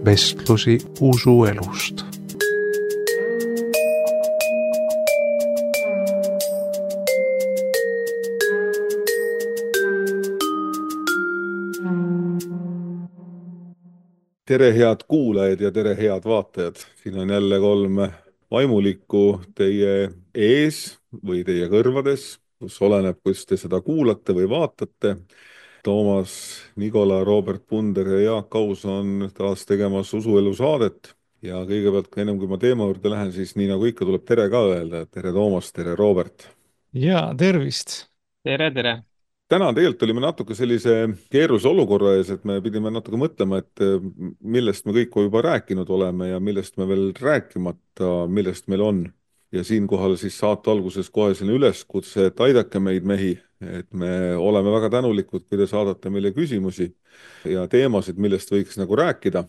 vestlusi usuelust. Tere head kuulajad ja tere head vaatajad. Siin on jälle 3 vaimulikku teie ees või teie kõrvades, kus oleneb, kus te seda kuulate või vaatate. Toomas Nikola, Robert Punder ja Jaak Aus on taas tegemas usuelu saadet. Ja kõigepealt, ennem kui ma teema juurde lähen, siis nii nagu ikka tuleb tere ka öelda. Tere Toomas, tere Robert. Ja tervist! Tere, tere! Täna tegelikult olime natuke sellise keerulise olukorra ees, et me pidime natuke mõtlema, et millest me kõik juba rääkinud oleme ja millest me veel rääkimata, millest meil on. Ja siinkohal siis saate alguses kohe selline üleskutse, et aidake meid mehi, et me oleme väga tänulikud, kui te saadate meile küsimusi ja teemasid, millest võiks nagu rääkida.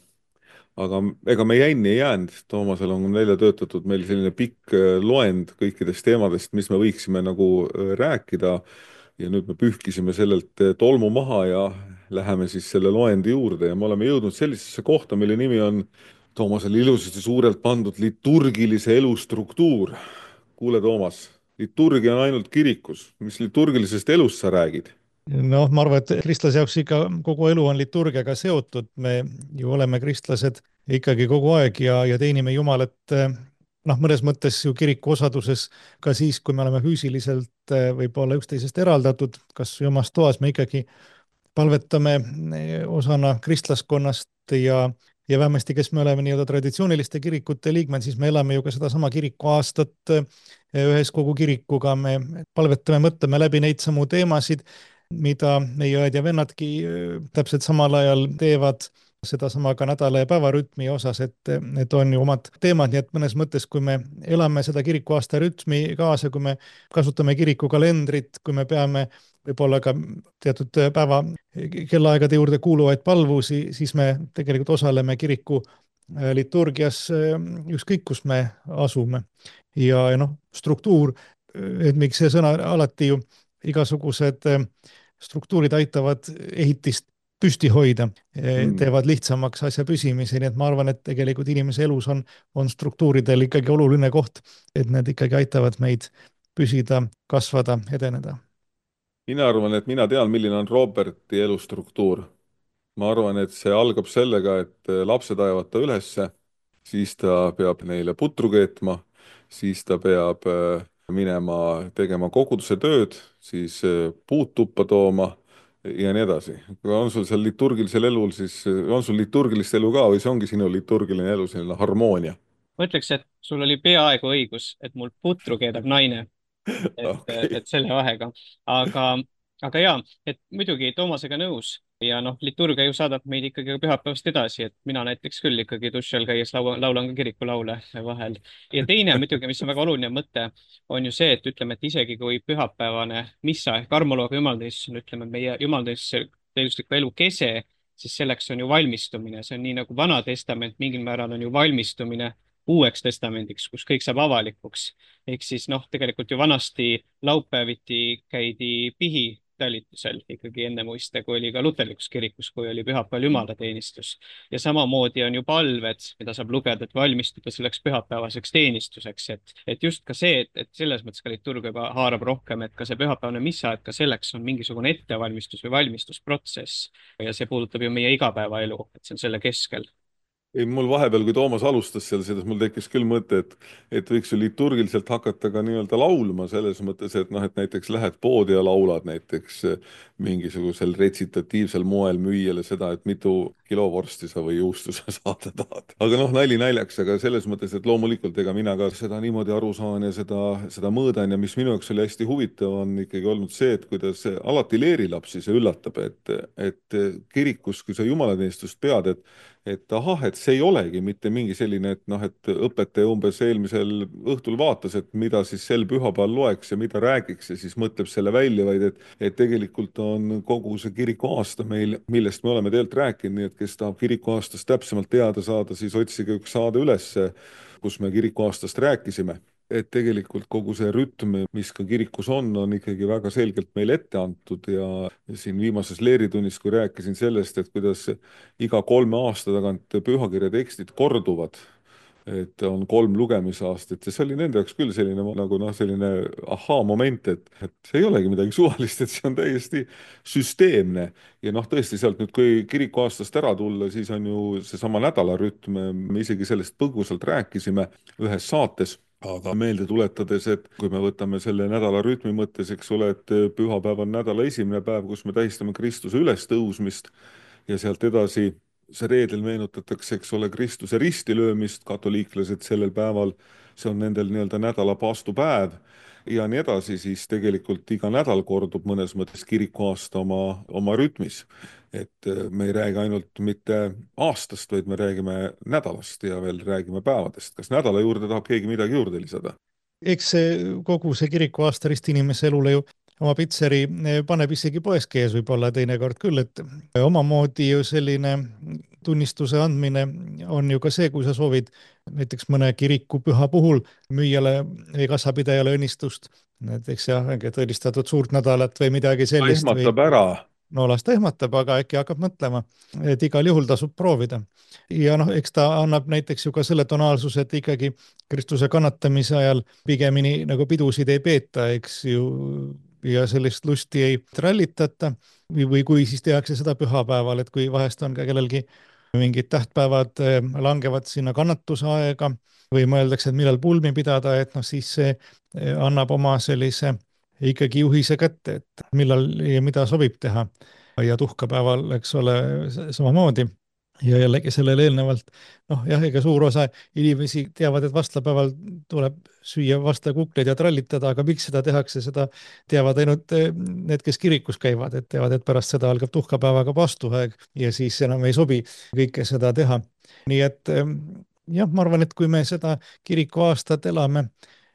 Aga ega me jänni ei jäänud. Toomasel on välja töötatud meil selline pikk loend kõikidest teemadest, mis me võiksime nagu rääkida. Ja nüüd me pühkisime sellelt tolmu maha ja läheme siis selle loendi juurde ja me oleme jõudnud sellisesse kohta, mille nimi on Toomasel ilusasti suurelt pandud liturgilise elu struktuur. Kuule, Toomas, liturgia on ainult kirikus. Mis liturgilisest elust sa räägid? Noh, ma arvan, et kristlase jaoks ikka kogu elu on liturgiaga seotud. Me ju oleme kristlased ikkagi kogu aeg ja teenime Jumalat mõnes mõttes ju kiriku osaduses ka siis, kui me oleme füüsiliselt võib-olla üksteisest eraldatud, kas omas toas me ikkagi palvetame osana kristlaskonnast ja vähemasti, kes me oleme nii-öelda traditsiooniliste kirikute liikmed, siis me elame ju ka sedasama kiriku aastat ühes kogu kirikuga, me palvetame, mõtleme läbi neid samu teemasid, mida meie õed ja vennadki täpselt samal ajal teevad, sedasama ka nädala ja päevarütmi osas, et need on ju omad teemad, nii et mõnes mõttes, kui me elame seda kirikuaasta rütmi kaasa, kui me kasutame kirikukalendrit, kui me peame võib-olla ka teatud päeva kellaaegade juurde kuuluvaid palvusi, siis me tegelikult osaleme kiriku liturgias ükskõik, kus me asume. Ja struktuur, et miks see sõna alati ju igasugused struktuurid aitavad ehitist püsti hoida, teevad lihtsamaks asja püsimise, nii et ma arvan, et tegelikult inimese elus on struktuuridel ikkagi oluline koht, et need ikkagi aitavad meid püsida, kasvada, edeneda. Mina arvan, et mina tean, milline on Roberti elustruktuur. Ma arvan, et see algab sellega, et lapsed ajavad ta ülesse, siis ta peab neile putru keetma, siis ta peab minema tegema koguduse tööd, siis puud tuppa tooma ja nii edasi. On sul seal liturgilisel elul, siis on sul liturgilist elu ka või see ongi sinu liturgiline elu, selline harmoonia? Ma ütleks, et sul oli peaaegu õigus, et mul putru keedab naine, Okei. et selle vahega. Aga jaa, et muidugi Toomasega nõus ja liturgia ju saadab meid ikkagi pühapäevast edasi, et mina näiteks küll ikkagi duši all käies laulan ka kirikulaule vahel. Ja teine muidugi, mis on väga oluline mõte, on ju see, et ütleme, et isegi kui pühapäevane missa ehk armulooga jumalteenistus on, ütleme, meie jumalteenistusliku elu kese, siis selleks on ju valmistumine, see on nii nagu Vana Testament mingil määral on ju valmistumine Uueks Testamendiks, kus kõik saab avalikuks. Ehk siis tegelikult ju vanasti laupäeviti käidi pihitalitusel ikkagi enne muiste, kui oli ka luterlikus kirikus, kui oli pühapäeval jumalateenistus. Ja samamoodi on ju palved, mida saab lugeda, et valmistuda selleks pühapäevaseks teenistuseks. Et just ka see, et selles mõttes ka liturgia juba haarab rohkem, et ka see pühapäevane missa, et ka selleks on mingisugune ettevalmistus või valmistusprotsess. Ja see puudutab ju meie igapäevaelu, et see on selle keskel. Ei, mul vahepeal, kui Toomas alustas seal seda, mul tekkis küll mõte, et võiks ju liturgiliselt hakata ka nii-öelda laulma selles mõttes, et et näiteks lähed poodi ja laulad näiteks mingisugusel retsitatiivsel moel müüjale seda, et mitu kilo vorsti sa või juustu sa saada tahad. Aga nali naljaks, aga selles mõttes, et loomulikult ega mina ka seda niimoodi aru saan ja seda mõõdan ja mis minu jaoks oli hästi huvitav, on ikkagi olnud see, et kuidas alati leerilapsi see üllatab, et kirikus, kui sa jumalateenistust pead, et ahah, et see ei olegi mitte mingi selline, et õpetaja umbes eelmisel õhtul vaatas, et mida siis sel pühapäeval loeks ja mida räägiks ja siis mõtleb selle välja, vaid et tegelikult on kogu see kirikuaasta meil, millest me oleme tegelikult rääkinud, nii et kes tahab kirikuaastast täpsemalt teada saada, siis otsige üks saade üles, kus me kirikuaastast rääkisime. et tegelikult kogu see rütm, mis ka kirikus on ikkagi väga selgelt meile ette antud ja siin viimases leeritunnis, kui rääkisin sellest, et kuidas iga 3 aasta tagant pühakirja tekstid korduvad, et on 3 lugemisaastat ja see oli nende jaoks küll selline nagu selline ahaa-moment, et see ei olegi midagi suvalist, et see on täiesti süsteemne. Ja tõesti sealt nüüd, kui kirikuaastast ära tulla, siis on ju seesama nädalarütm, me isegi sellest põgusalt rääkisime ühes saates, aga meelde tuletades, et kui me võtame selle nädalarütmi mõttes, eks ole, et pühapäev on nädala esimene päev, kus me tähistame Kristuse ülestõusmist ja sealt edasi see reedel meenutatakse, eks ole, Kristuse ristilöömist, katoliiklased sellel päeval, see on nendel nii-öelda nädala paastupäev ja nii edasi, siis tegelikult iga nädal kordub mõnes mõttes kirikuaasta oma rütmis. Et me ei räägi ainult mitte aastast, vaid me räägime nädalast ja veel räägime päevadest. Kas nädala juurde tahab keegi midagi juurde lisada? Eks kogu see kirikuaasta ristinimese elule ju oma pitseri paneb isegi poes käes võib-olla teinekord küll, et omamoodi ju selline tunnistuse andmine on ju ka see, kui sa soovid näiteks mõne kirikupüha puhul müüjale või kassapidajale õnnistust, näiteks jah, tõelistatud suurt nädalat või midagi sellist. Ehmatab ära. No las ta ehmatab, aga äkki hakkab mõtlema, et igal juhul tasub proovida. Ja eks ta annab näiteks ju ka selle tonaalsuse, et ikkagi Kristuse kannatamise ajal pigemini nagu pidusid ei peeta, eks ju, ja sellist lusti ei trallitata või kui siis tehakse seda pühapäeval, et kui vahest on ka kellelgi mingid tähtpäevad langevad sinna kannatuse aega või mõeldakse, et millal pulmi pidada, et siis see annab oma sellise ikkagi juhise kätte, et millal ja mida sobib teha. Ja tuhkapäeval, eks ole, samamoodi. Ja jällegi sellele eelnevalt, jah, ega suur osa inimesi teavad, et vastlapäeval tuleb süüa vastlakukleid ja trallitada, aga miks seda tehakse, seda teavad ainult need, kes kirikus käivad, et teavad, et pärast seda algab tuhkapäevaga paastuaeg ja siis enam ei sobi kõike seda teha. Nii et jah, ma arvan, et kui me seda kirikuaastat elame,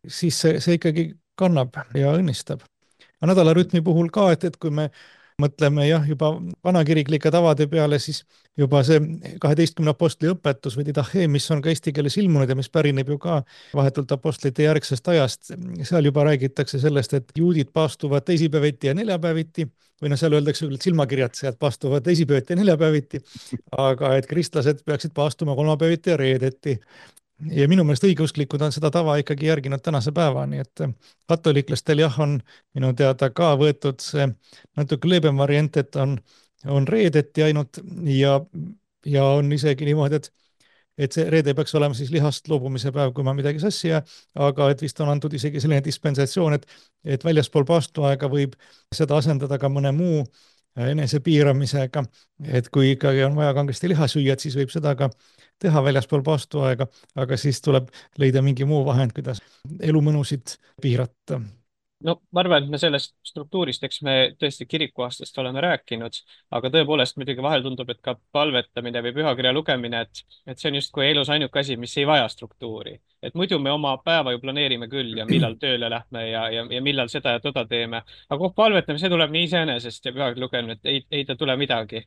siis see ikkagi kannab ja õnnistab. Nädalarütmi puhul ka, et kui me mõtleme jah, juba vanakiriklike tavade peale, siis juba see 12 apostli õpetus või didache, mis on ka eesti keeles ilmunud ja mis pärineb ju ka vahetult apostlite järgsest ajast, seal juba räägitakse sellest, et juudid paastuvad teisipäeviti ja neljapäeviti, või seal öeldakse küll, et silmakirjatsejad paastuvad teisipäeviti ja neljapäeviti, aga et kristlased peaksid paastuma kolmapäeviti ja reedeti. Ja minu meelest õigeusklikud on seda tava ikkagi järginud tänase päevani, et katoliklastel jah, on minu teada ka võetud see natuke leebem variant, et on reedeti ainult ja on isegi niimoodi, et see reede peaks olema siis lihast loobumise päev, kui ma midagi sassi jää, aga et vist on antud isegi selline dispensatsioon, et väljaspool paastuaega võib seda asendada ka mõne muu enesepiiramisega, et kui ikkagi on vaja kangesti liha süüa, et siis võib seda ka teha väljaspool paastuaega, aga siis tuleb leida mingi muu vahend, kuidas elumõnusid piirata. No ma arvan, et me sellest struktuurist, eks me tõesti kirikuaastast oleme rääkinud, aga tõepoolest muidugi vahel tundub, et ka palvetamine või pühakirja lugemine, et see on justkui elus ainuke asi, mis ei vaja struktuuri. Et muidu me oma päeva ju planeerime küll ja millal tööle lähme ja millal seda ja toda teeme. Aga palvetamine, see tuleb nii iseenesest ja pühakirja lugemine, et ei ta tule midagi.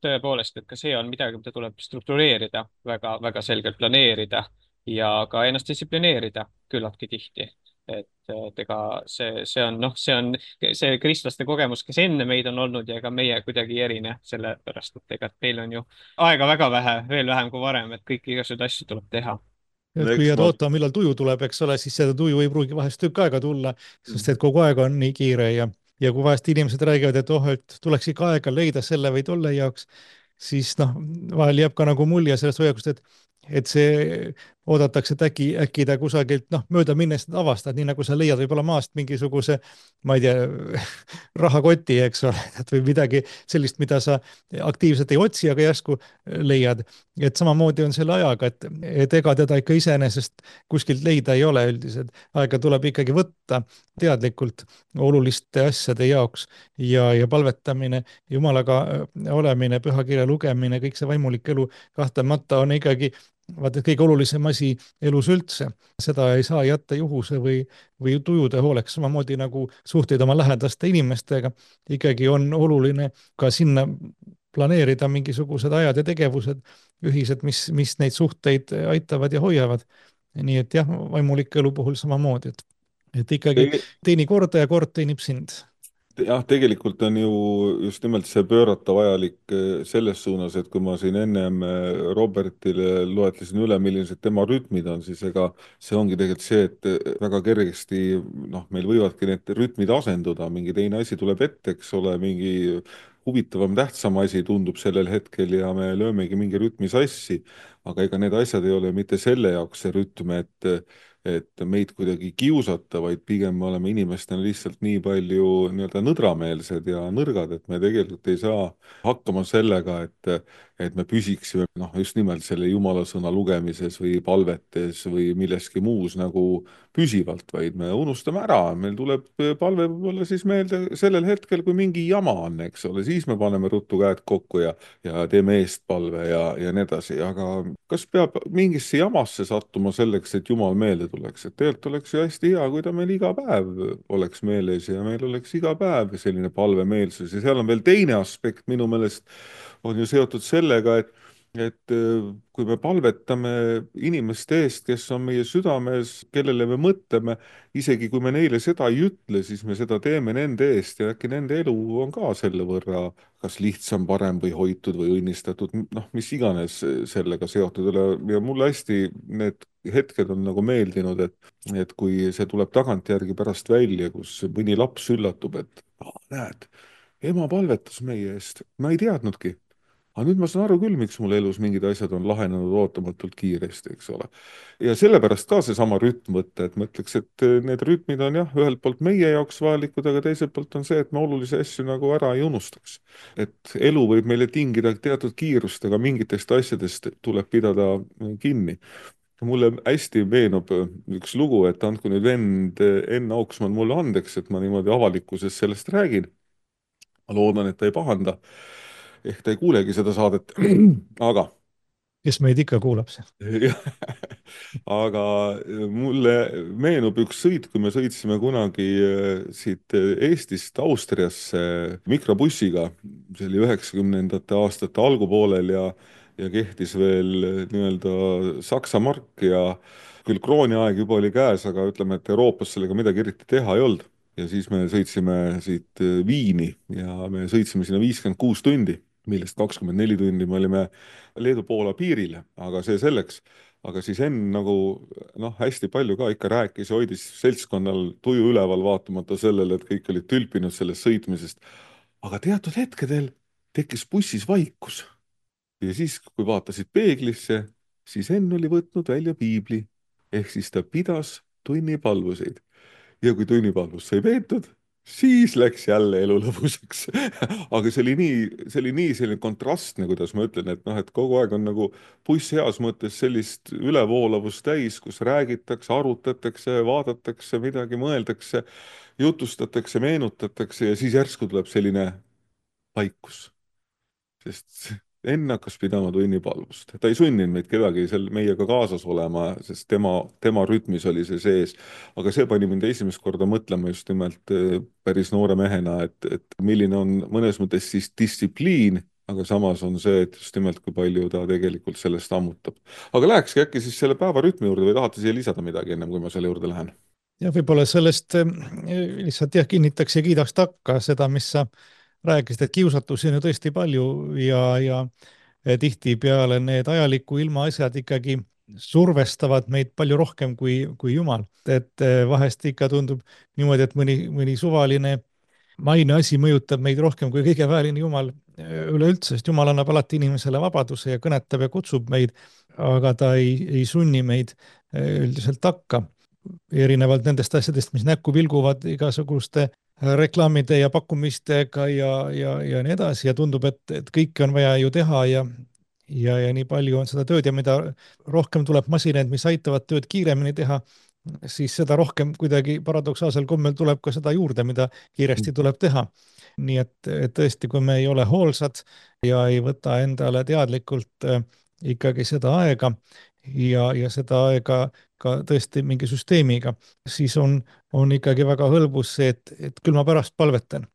Tõepoolest, et ka see on midagi, mida tuleb struktureerida, väga, väga selgelt planeerida ja ka ennast distsiplineerida küllaltki tihti. Et ega see on see kristlaste kogemus, kes enne meid on olnud ja ega meie kuidagi ei erine, sellepärast et ega meil on ju aega väga vähe, veel vähem kui varem, et kõiki igasuguseid asju tuleb teha. Et kui jääd ootama, millal tuju tuleb, eks ole, siis seda tuju ei pruugi vahest tükk aega tulla, sest et kogu aeg on nii kiire ja kui vahest inimesed räägivad, et tuleks ikka aega leida selle või tolle jaoks, siis vahel jääb ka nagu mulje sellest hoiakust, et see oodatakse, et äkki ta kusagilt mööda minnes avastad, nii nagu sa leiad võib-olla maast mingisuguse, ma ei tea, rahakoti, eks ole, või midagi sellist, mida sa aktiivselt ei otsi, aga järsku leiad. Et samamoodi on selle ajaga, et ega teda ikka iseenesest kuskilt leida ei ole üldiselt. Aega tuleb ikkagi võtta teadlikult oluliste asjade jaoks ja palvetamine, Jumalaga olemine, pühakirja lugemine, kõik see vaimulik elu kahtlemata on ikkagi vaata, kõige olulisem asi elus üldse. Seda ei saa jätta juhuse või tujude hooleks, samamoodi nagu suhteid oma lähedaste inimestega. Ikkagi on oluline ka sinna planeerida mingisugused ajad ja tegevused ühised, mis neid suhteid aitavad ja hoiavad. nii et jah, vaimuliku elu puhul samamoodi, et ikkagi Te- teeni korda ja kord teenib sind. jah, tegelikult on ju just nimelt see pöörata vajalik selles suunas, et kui ma siin ennem Robertile loetlesin üle, millised tema rütmid on, siis ega see ongi tegelikult see, et väga kergesti noh, meil võivadki need rütmid asenduda, mingi teine asi tuleb ette, eks ole, mingi huvitavam, tähtsam asi tundub sellel hetkel ja me löömegi mingi rütmi sassi, aga ega need asjad ei ole mitte selle jaoks see rütm, et meid kuidagi kiusata, vaid pigem me oleme inimestena lihtsalt nii palju nii-öelda nõdrameelsed ja nõrgad, et me tegelikult ei saa hakkama sellega, et me püsiksime noh, just nimelt selle jumala sõna lugemises või palvetes või milleski muus nagu püsivalt, vaid me unustame ära, meil tuleb palve võib-olla siis meelde sellel hetkel, kui mingi jama on, eks ole, siis me paneme ruttu käed kokku ja teeme eestpalve ja nii edasi, aga kas peab mingisse jamasse sattuma selleks, et Jumal meelde tuleks, et tegelikult oleks ju hästi hea, kui ta meil iga päev oleks meeles ja meil oleks iga päev selline palvemeelsus ja seal on veel teine aspekt minu meelest on ju seotud sellega, et kui me palvetame inimeste eest, kes on meie südames, kellele me mõtleme, isegi kui me neile seda ei ütle, siis me seda teeme nende eest ja äkki nende elu on ka selle võrra kas lihtsam, parem või hoitud või õnnistatud, noh, mis iganes sellega seotud ei ole ja mulle hästi need hetked on nagu meeldinud, et kui see tuleb tagantjärgi pärast välja, kus mõni laps üllatub, et näed, ema palvetas meie eest, ma ei teadnudki. Aga nüüd ma saan aru küll, miks mul elus mingid asjad on lahenenud ootamatult kiiresti, eks ole. Ja sellepärast ka seesama rütm võtta, et ma ütleks, et need rütmid on jah, ühelt poolt meie jaoks vajalikud, aga teiselt poolt on see, et me olulisi asju nagu ära ei unustaks. Et elu võib meile tingida teatud kiirust, aga mingitest asjadest tuleb pidada kinni. Mulle hästi meenub üks lugu, et andku nüüd vend Enn Auksmann mulle andeks, et ma niimoodi avalikkuses sellest räägin. Ma loodan, et ta ei pahanda. Ehk ta ei kuulegi seda saadet, aga kes meid ikka kuulab seal. aga mulle meenub üks sõit, kui me sõitsime kunagi siit Eestist Austriasse mikrobussiga, see oli 90ndate aastate algupoolel ja kehtis veel nii-öelda Saksa mark ja küll krooniaeg juba oli käes, aga ütleme, et Euroopas sellega midagi eriti teha ei olnud. Ja siis me sõitsime siit Viini ja me sõitsime sinna 56 tundi, millest 24 tundi me olime Leedu-Poola piirile, aga see selleks. Aga siis Enn nagu noh, hästi palju ka ikka rääkis ja hoidis seltskonnal tuju üleval vaatamata sellele, et kõik olid tülpinud sellest sõitmisest. Aga teatud hetkedel tekkis bussis vaikus. Ja siis, kui vaatasid peeglisse, siis Enn oli võtnud välja piibli. Ehk siis ta pidas tunnipalvuseid. Ja kui tunnipalvus sai peetud, siis läks jälle elu lõbusaks. Aga see oli nii selline kontrastne, kuidas ma ütlen, et noh, et kogu aeg on nagu buss heas mõttes sellist ülevoolavust täis, kus räägitakse, arutatakse, vaadatakse, midagi mõeldakse, jutustatakse, meenutatakse ja siis järsku tuleb selline vaikus. Sest Enn hakkas pidama tunnipalvust. Ta ei sunninud meid kedagi seal meiega kaasas olema, sest tema rütmis oli see sees. Aga see pani mind esimest korda mõtlema just nimelt päris noore mehena, et milline on mõnes mõttes siis distsipliin, aga samas on see, et just nimelt kui palju ta tegelikult sellest ammutab. Aga lähekski äkki siis selle päevarütmi juurde või tahate siia lisada midagi ennem, kui ma selle juurde lähen? Ja võib-olla sellest lihtsalt jah, kinnitaks ja kiidaks takka seda, mis sa rääkisid, et kiusatusi on ju tõesti palju ja tihtipeale need ajaliku ilma asjad ikkagi survestavad meid palju rohkem kui Jumal. Et vahest ikka tundub niimoodi, et mõni suvaline maine asi mõjutab meid rohkem kui kõige vääriline Jumal üleüldse, sest Jumal annab alati inimesele vabaduse ja kõnetab ja kutsub meid, aga ta ei sunni meid üldiselt takka. Erinevalt nendest asjadest, mis näkku vilguvad igasuguste reklaamide ja pakkumistega ja nii edasi ja tundub, et kõike on vaja ju teha ja nii palju on seda tööd ja mida rohkem tuleb masinaid, mis aitavad tööd kiiremini teha, siis seda rohkem kuidagi paradoksaalsel kombel tuleb ka seda juurde, mida kiiresti tuleb teha. Nii et tõesti, kui me ei ole hoolsad ja ei võta endale teadlikult ikkagi seda aega ja seda aega ka tõesti mingi süsteemiga, siis on ikkagi väga hõlbus see, et küll ma pärast palvetan.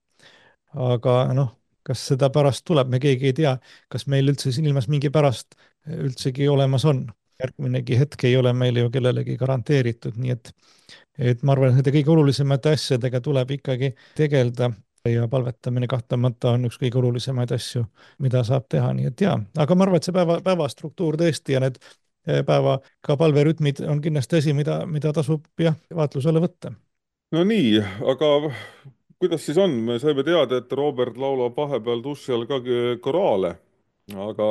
Aga noh, kas seda pärast tuleb, me keegi ei tea, kas meil üldse siin ilmas mingi pärast üldsegi olemas on. järgminegi hetk ei ole meile ju kellelegi garanteeritud, nii et ma arvan, et nende kõige olulisemate asjadega tuleb ikkagi tegeleda ja palvetamine kahtlemata on üks kõige olulisemaid asju, mida saab teha, nii et jaa, aga ma arvan, et see päeva struktuur tõesti ja need päeva ka palverütmid on kindlasti asi, mida tasub jah, vaatlusele võtta. No nii, aga kuidas siis on? Me saime teada, et Robert laulab vahepeal duši all ka koraale, aga,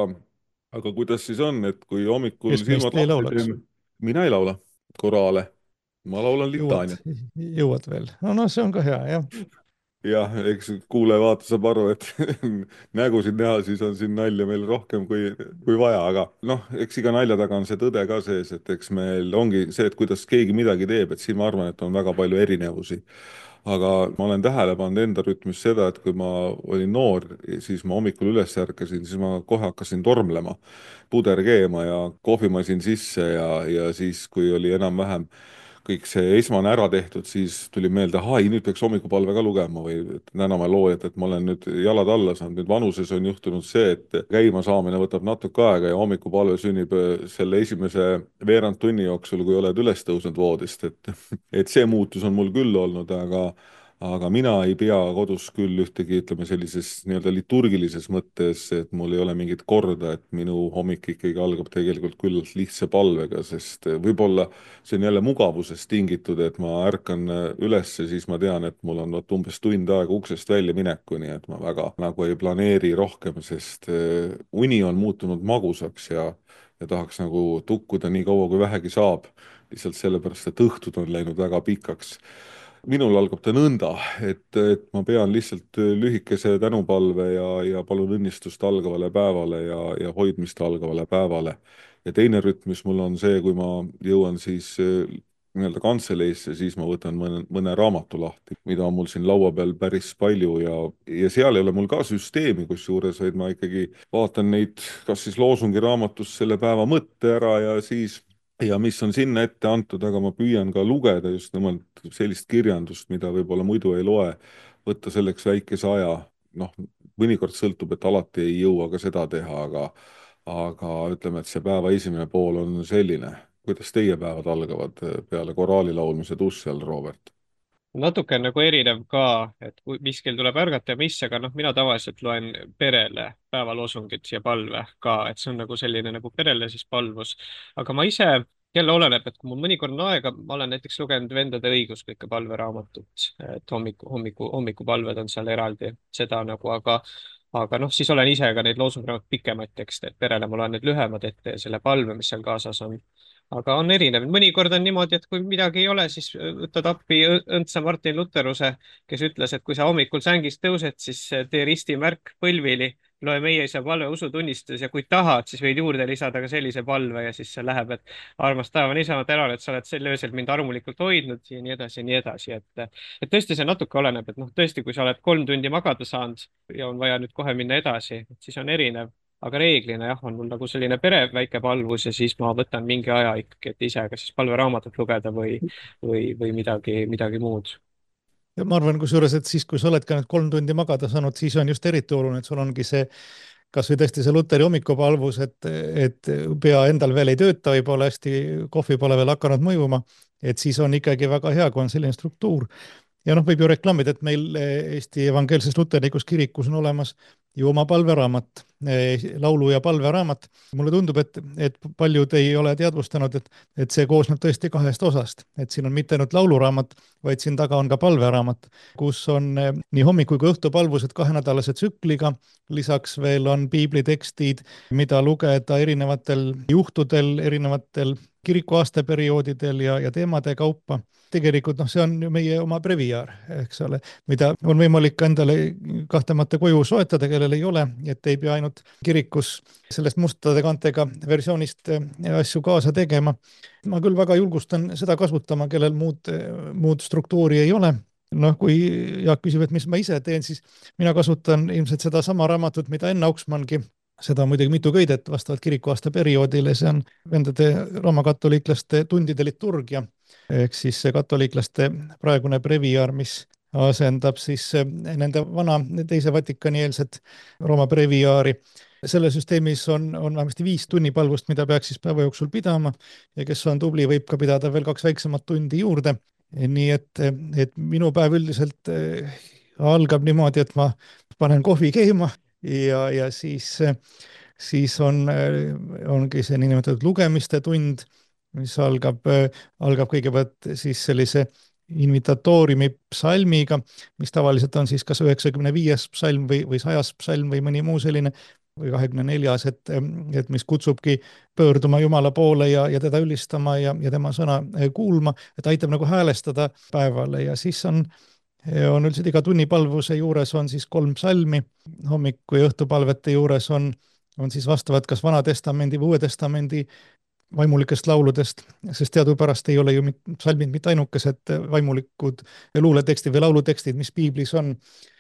aga kuidas siis on, et kui hommikul Kes meist silmad ei lahti laulaks? teeme, mina ei laula koraale, ma laulan Jõuad, litaaniat. jõuad veel. No see on ka hea, jah. Jah, eks kuulaja-vaataja saab aru, et nägusid näha, siis on siin nalja meil rohkem kui vaja, aga noh, eks iga nalja taga on see tõde ka sees, et eks meil ongi see, et kuidas keegi midagi teeb, et siin ma arvan, et on väga palju erinevusi. Aga ma olen tähele pannud enda rütmis seda, et kui ma olin noor, siis ma hommikul üles ärkasin, siis ma kohe hakkasin tormlema, puder keema ja kohvimasin sisse ja siis, kui oli enam-vähem kõik see esmane ära tehtud, siis tuli meelde, ahai, nüüd peaks hommikupalve ka lugema või täname loojat, et ma olen nüüd jalad alla saanud. Nüüd vanuses on juhtunud see, et käima saamine võtab natuke aega ja hommikupalve sünnib selle esimese veerand tunni jooksul, kui oled üles tõusnud voodist, et see muutus on mul küll olnud, aga mina ei pea kodus küll ühtegi, ütleme sellises nii-öelda liturgilises mõttes, et mul ei ole mingit korda, et minu hommik ikkagi algab tegelikult küllalt lihtsa palvega, sest võib-olla see on jälle mugavusest tingitud, et ma ärkan üles, siis ma tean, et mul on umbes tund aega uksest välja minekuni, et ma väga nagu ei planeeri rohkem, sest uni on muutunud magusaks ja tahaks nagu tukkuda nii kaua, kui vähegi saab, lihtsalt sellepärast, et õhtud on läinud väga pikaks. Minul algab ta nõnda, et ma pean lihtsalt lühikese tänupalve ja palun õnnistust algavale päevale ja hoidmist algavale päevale. Ja teine rütm, mis mul on see, kui ma jõuan siis nii-öelda kantseleisse, siis ma võtan mõne raamatu lahti, mida on mul siin laua peal päris palju ja seal ei ole mul ka süsteemi kusjuures, vaid ma ikkagi vaatan neid, kas siis loosungi raamatust selle päeva mõtte ära ja mis on sinna ette antud, aga ma püüan ka lugeda just nimelt sellist kirjandust, mida võib-olla muidu ei loe, võtta selleks väikese aja, noh, mõnikord sõltub, et alati ei jõua ka seda teha, aga ütleme, et see päeva esimene pool on selline. Kuidas teie päevad algavad peale koraali laulmise duši all, Robert? Natuke on nagu erinev ka, et mis kell tuleb ärgata ja mis, aga noh, mina tavaliselt loen perele päevaloosungit ja palve ka, et see on nagu selline nagu perele siis palvus. aga ma ise, jälle oleneb, et kui mul mõnikord on aega, ma olen näiteks lugenud Vendade õiguskõike palveraamatut, et hommikupalved on seal eraldi, seda nagu, aga noh, siis olen ise ka neid loosungraamatuid pikemaid tekste, et perele ma loen need lühemad ette ja selle palve, mis seal kaasas on. Aga on erinev, mõnikord on niimoodi, et kui midagi ei ole, siis võtad appi õndsa Martin Lutheruse, kes ütles, et kui sa hommikul sängist tõused, siis tee ristimärk põlvili, loe Meie Isa palve usutunnistus ja kui tahad, siis võid juurde lisada ka sellise palve ja siis see läheb, et armas taevane isa, ma tänan, et sa oled sel öösel mind armulikult hoidnud ja nii edasi ja nii edasi, et tõesti see natuke oleneb, et noh, tõesti, kui sa oled 3 tundi magada saanud ja on vaja nüüd kohe minna edasi, siis on erinev. Aga reeglina jah, on mul nagu selline pere väike palvus ja siis ma võtan mingi aja ikkagi, et ise kas siis palveraamatut lugeda või midagi muud. Ja ma arvan kusjuures, et siis, kui sa oled ka need 3 tundi magada saanud, siis on just eriti oluline, et sul ongi see, kas või tõesti see Luteri hommikupalvus, et pea endal veel ei tööta, võib-olla hästi kohvi pole veel hakanud mõjuma, et siis on ikkagi väga hea, kui on selline struktuur. Ja noh, võib ju reklaamida, et meil Eesti Evangeelses Luterlikus kirikus on olemas ju oma palveraamat, laulu- ja palveraamat. Mulle tundub, et paljud ei ole teadvustanud, et see koosneb tõesti 2 osast. Et siin on mitte ainult lauluraamat, vaid siin taga on ka palveraamat, kus on nii hommiku kui õhtupalvused 2-nädalase tsükliga. Lisaks veel on piiblitekstid, mida lugeda erinevatel juhtudel, erinevatel kiriku aastaperioodidel ja teemade kaupa. Tegelikult noh, see on ju meie oma breviaar, eks ole, mida on võimalik endale kahtlemata koju soetada, kellel ei ole, et ei pea ainult kirikus sellest mustade kantega versioonist asju kaasa tegema. Ma küll väga julgustan seda kasutama, kellel muud struktuuri ei ole. Noh, kui Jaak küsib, et mis ma ise teen, siis mina kasutan ilmselt seda sama raamatut, mida Enn Auksmangi. Seda on muidugi mitu köidet vastavalt kirikuaasta perioodile, see on vendade roomakatoliiklaste tundide liturgia, ehk siis see katoliiklaste praegune breviaar, mis asendab siis nende vana teise Vatikani-eelset Rooma breviaari. selle süsteemis on vähemasti 5 tunnipalvust, mida peaks siis päeva jooksul pidama ja kes on tubli, võib ka pidada veel 2 väiksemat tundi juurde. Nii et minu päev üldiselt algab niimoodi, et ma panen kohvi keema ja siis ongi see niinimetatud lugemiste tund, mis algab kõigepealt siis sellise invitatooriumi psalmiga, mis tavaliselt on siis kas 95. psalm või 100. psalm või mõni muu selline või 24., et mis kutsubki pöörduma Jumala poole ja teda ülistama ja tema sõna kuulma, et aitab nagu häälestada päevale ja siis on üldiselt iga tunnipalvuse juures on siis 3 psalmi, hommiku- ja õhtupalvete juures on siis vastavad kas Vana Testamendi või Uue Testamendi vaimulikest lauludest, sest teadupärast ei ole ju psalmid mitte ainukesed vaimulikud luuletekstid või laulutekstid, mis piiblis on,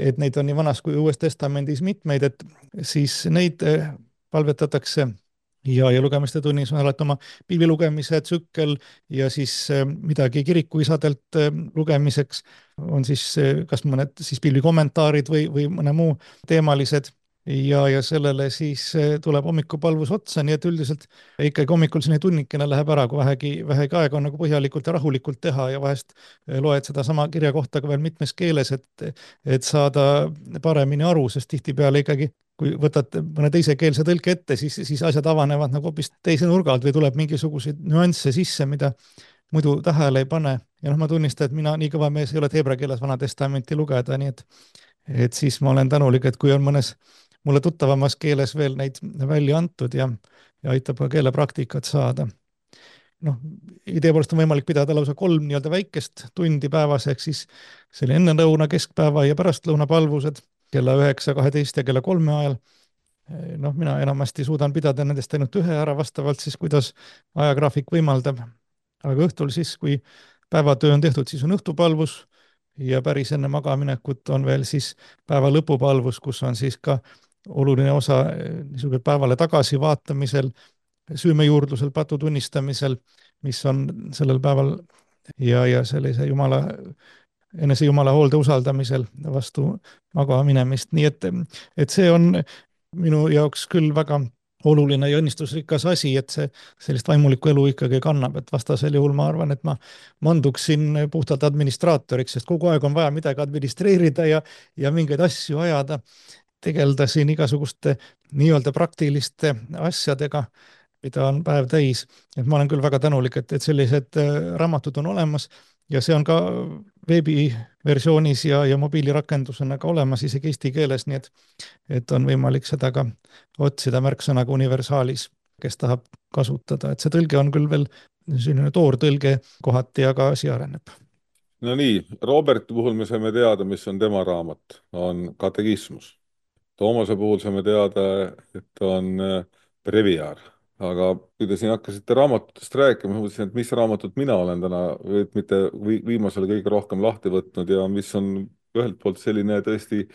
et neid on nii Vanas kui Uues Testamendis mitmeid, et siis neid palvetatakse ja lugemiste tunnis on alati oma piibli lugemise tsükkel ja siis midagi kirikuisadelt lugemiseks on siis kas mõned siis piibli kommentaarid või mõne muu teemalised ja sellele siis tuleb hommikupalvus otsa, nii et üldiselt ikkagi hommikul selline tunnikene läheb ära, kui vähegi aega on nagu põhjalikult ja rahulikult teha ja vahest loed sedasama kirja kohta ka veel mitmes keeles, et saada paremini aru, sest tihtipeale ikkagi kui võtad mõne teisekeelse tõlke ette, siis asjad avanevad nagu hoopis teise nurga alt või tuleb mingisuguseid nüansse sisse, mida muidu tähele ei pane. Ja ma tunnistan, et mina nii kõva mees ei ole, et heebrea keeles Vana Testamenti lugeda, nii et siis ma olen tänulik, et kui on mõnes mulle tuttavamas keeles veel neid välja antud ja aitab ka keelepraktikat saada. Noh, idee poolest on võimalik pidada lausa 3 nii-öelda väikest tundi päevas, ehk siis selle ennelõuna, keskpäeva ja pärastlõuna palvused kella 9, 12 ja kella 3 ajal. Noh, mina enamasti suudan pidada nendest ainult 1 ära vastavalt siis, kuidas ajagraafik võimaldab. Aga õhtul siis, kui päevatöö on tehtud, siis on õhtupalvus ja päris enne magaminekut on veel siis päeva lõpupalvus, kus on siis ka oluline osa niisugune päevale tagasi vaatamisel, süümejuurdlusel, patu tunnistamisel, mis on sellel päeval ja sellise enese Jumala hoolde usaldamisel vastu magama minemist. Nii et see on minu jaoks küll väga oluline ja õnnistusrikas asi, et see sellist vaimulikku elu ikkagi kannab, et vastasel juhul ma arvan, et ma manduksin puhtalt administraatoriks, sest kogu aeg on vaja midagi administreerida ja mingeid asju ajada, tegelda siin igasuguste nii-öelda praktiliste asjadega, mida on päev täis. Et ma olen küll väga tänulik, et sellised raamatud on olemas ja see on ka veebiversioonis ja mobiilirakendusena ka olemas isegi eesti keeles, nii et on võimalik seda ka otsida märksõnaga universaalis, kes tahab kasutada. Et see tõlge on küll veel selline toortõlge kohati, aga asi areneb. No nii, Roberti puhul me saime teada, mis on tema raamat, on katekismus. Toomase puhul saame teada, et on breviaar, aga kui te siin hakkasite raamatutest rääkima, mõtlesin, et mis raamatut mina olen täna, et mitte viimasel kõige rohkem lahti võtnud ja mis on ühelt poolt selline tõesti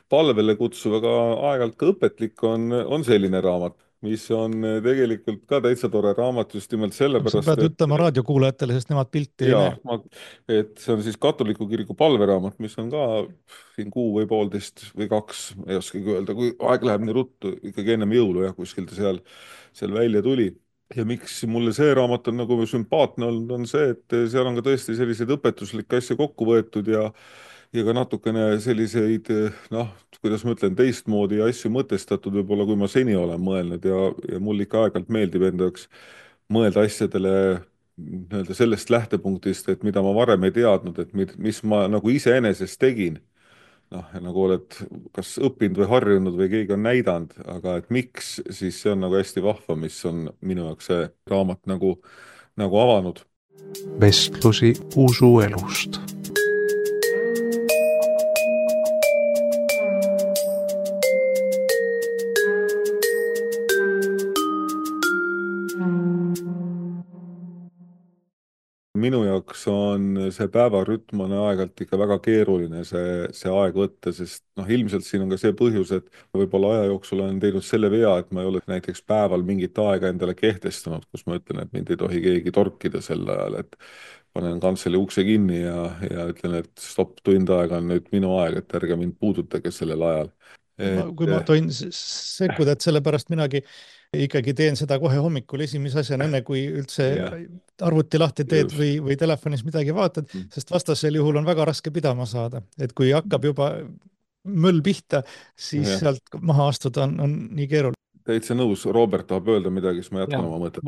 palvele kutsuv, aga aeg-ajalt ka õpetlik on selline raamat, mis on tegelikult ka täitsa tore raamat just nimelt sellepärast, sa pead ütlema raadiokuulajatele, sest nemad pilti ei näe. Et see on siis katoliku kiriku palveraamat, mis on ka siin 1 või 1,5 või 2, ei oskagi öelda, kui aeg läheb nii ruttu, ikkagi ennem jõulu kuskil ta seal välja tuli. Ja miks mulle see raamat on nagu sümpaatne olnud, on see, et seal on ka tõesti selliseid õpetuslikke asju kokku võetud ja ka natukene selliseid, noh, kuidas ma ütlen, teistmoodi asju mõtestatud võib-olla, kui ma seni olen mõelnud ja mul ikka aeg-ajalt meeldib enda jaoks mõelda asjadele nii-öelda sellest lähtepunktist, et mida ma varem ei teadnud, et mis ma nagu iseenesest tegin. Noh, nagu oled kas õppinud või harjunud või keegi on näidanud, aga et miks, siis see on nagu hästi vahva, mis on minu jaoks see raamat nagu avanud. Vestlusi usuelust. Minu jaoks on see päevarütm on aeg-ajalt ikka väga keeruline see aeg võtta, sest ilmselt siin on ka see põhjus, et võib-olla aja jooksul olen teinud selle vea, et ma ei ole näiteks päeval mingit aega endale kehtestanud, kus ma ütlen, et mind ei tohi keegi torkida sel ajal, et panen kantseli ukse kinni ja ütlen, et stopp, tund aega on nüüd minu aeg, et ärge mind puudutage sellel ajal. kui ma tohin sekkuda, et sellepärast minagi ikkagi teen seda kohe hommikul esimese asjana, enne kui üldse jah, arvuti lahti teed just. või telefonis midagi vaatad, sest vastasel juhul on väga raske pidama saada. Et kui hakkab juba möll pihta, siis Jah, sealt maha astuda on nii keeruline. täitsa nõus. Robert tahab öelda midagi, siis ma ja jätkan oma mõtet.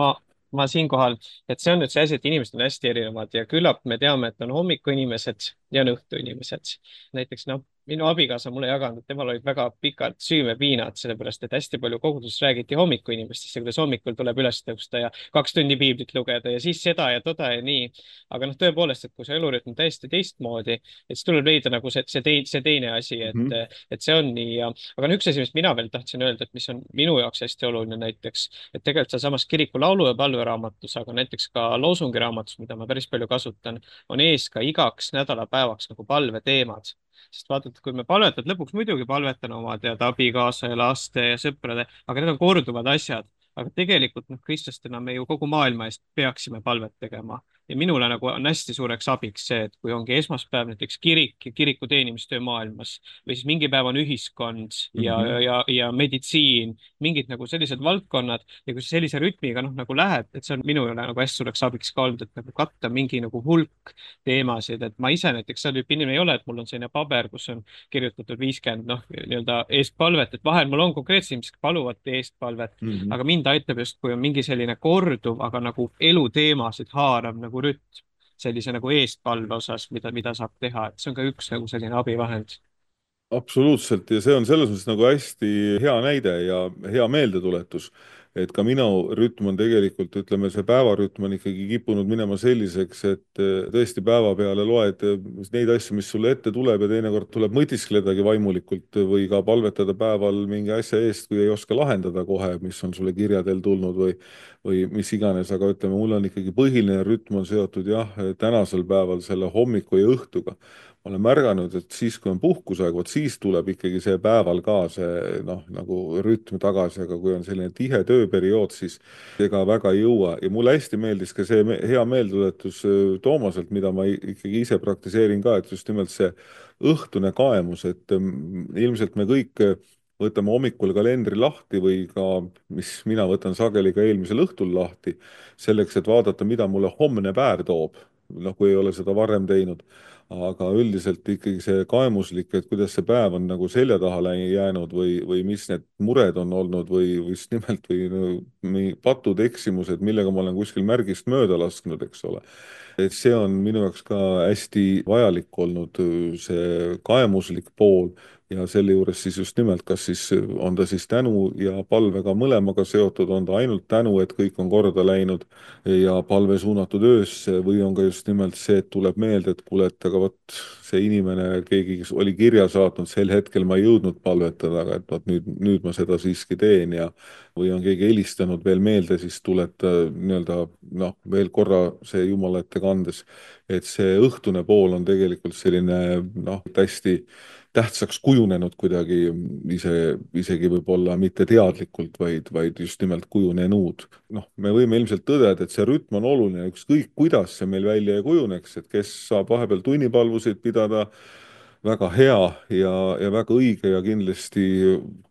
ma siinkohal, et see on nüüd see asi, et inimesed on hästi erinevad ja küllap me teame, et on hommikuinimesed ja on õhtuinimesed. Näiteks minu abikaasa mulle jaganud, et temal olid väga pikad süümepiinad, sellepärast et hästi palju koguduses räägiti hommikuinimestest ja kuidas hommikul tuleb üles tõusta ja 2 tundi piiblit lugeda ja siis seda ja toda ja nii. Aga tõepoolest, et kui see elurütm on täiesti teistmoodi, et siis tuleb leida nagu see teine asi, et see on nii aga üks asi, mis mina veel tahtsin öelda, et mis on minu jaoks hästi oluline näiteks, et tegelikult sealsamas kiriku laulu- ja palveraamatus, aga näiteks ka loosungiraamatus, mida ma päris palju kasutan, on ees ka igaks nädalapäevaks nagu palveteemad. Sest vaadata, kui me palvetad, lõpuks muidugi palvetan oma abikaasa ja laste ja sõprade, aga need on korduvad asjad. Aga tegelikult kristlastena me ju kogu maailma eest peaksime palvet tegema. Ja minule nagu on hästi suureks abiks see, et kui ongi esmaspäev näiteks kirik ja kiriku teenimistöö maailmas või siis mingi päev on ühiskond ja meditsiin, mingid nagu sellised valdkonnad ja kui see sellise rütmiga nagu läheb, et see on minule nagu hästi suureks abiks ka olnud, et nagu katta mingi nagu hulk teemasid, et ma ise näiteks seal tüüpi inimene ei ole, et mul on selline paber, kus on kirjutatud 50 nii-öelda eestpalvet, et vahel mul on konkreetselt inimesed, kes paluvad eestpalvet, aga mind aitab just, kui on mingi selline korduv, aga nagu eluteemasid haarav nagu rütm sellise nagu eestpalve osas, mida saab teha, et see on ka üks nagu selline abivahend. Absoluutselt, ja see on selles mõttes nagu hästi hea näide ja hea meeldetuletus, et ka minu rütm on tegelikult, ütleme, see päevarütm on ikkagi kippunud minema selliseks, et tõesti päeva peale loed neid asju, mis sulle ette tuleb ja teinekord tuleb mõtiskledagi vaimulikult või ka palvetada päeval mingi asja eest, kui ei oska lahendada kohe, mis on sulle kirjadel tulnud või mis iganes, aga ütleme, mul on ikkagi põhiline rütm on seotud jah, tänasel päeval selle hommiku ja õhtuga. Ma olen märganud, et siis, kui on puhkusaeg, vot siis tuleb ikkagi see päeval ka see nagu rütm tagasi, aga kui on selline tihe tööperiood, siis ega väga ei jõua. Ja mulle hästi meeldis ka see hea meeldetuletus Toomaselt, mida ma ikkagi ise praktiseerin ka, et just nimelt see õhtune kaemus, et ilmselt me kõik võtame hommikul kalendri lahti või ka, mis mina võtan sageli ka eelmisel õhtul lahti, selleks, et vaadata, mida mulle homne päev toob, kui ei ole seda varem teinud. Aga üldiselt ikkagi see kaemuslik, et kuidas see päev on nagu selja taha jäänud või mis need mured on olnud või just nimelt või patud eksimused, millega ma olen kuskil märgist mööda lasknud, eks ole. Et see on minu jaoks ka hästi vajalik olnud, see kaemuslik pool ja selle juures siis just nimelt, kas siis on ta siis tänu ja palvega mõlemaga seotud, on ta ainult tänu, et kõik on korda läinud ja palve suunatud öösse või on ka just nimelt see, et tuleb meelde, et kuule, et aga vot see inimene, keegi, kes oli kirja saatnud, sel hetkel ma ei jõudnud palvetada, aga et vot nüüd ma seda siiski teen ja või on keegi helistanud veel meelde, siis tuleta nii-öelda veel korra see Jumala ette kandes, et see õhtune pool on tegelikult selline hästi tähtsaks kujunenud kuidagi isegi võib-olla mitte teadlikult, vaid just nimelt kujunenud. Me võime ilmselt tõdeda, et see rütm on oluline, ükskõik kuidas see meil välja ei kujuneks, et kes saab vahepeal tunnipalvusid pidada, väga hea ja väga õige ja kindlasti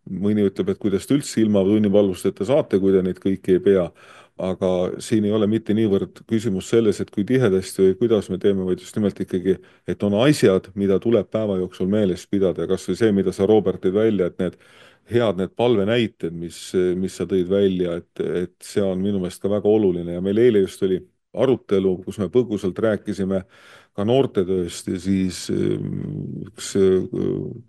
mõni ütleb, et kuidas te üldse ilma tunnipalvusteta saate, kui te neid kõiki ei pea. Aga siin ei ole mitte niivõrd küsimus selles, et kui tihedasti või kuidas me teeme, vaid just nimelt ikkagi, et on asjad, mida tuleb päeva jooksul meeles pidada ja kas või see, mida sa, Robert, tõid välja, et need palvenäited, mis sa tõid välja, et see on minu meelest ka väga oluline ja meil eile just oli arutelu, kus me põgusalt rääkisime ka noortetööst ja siis üks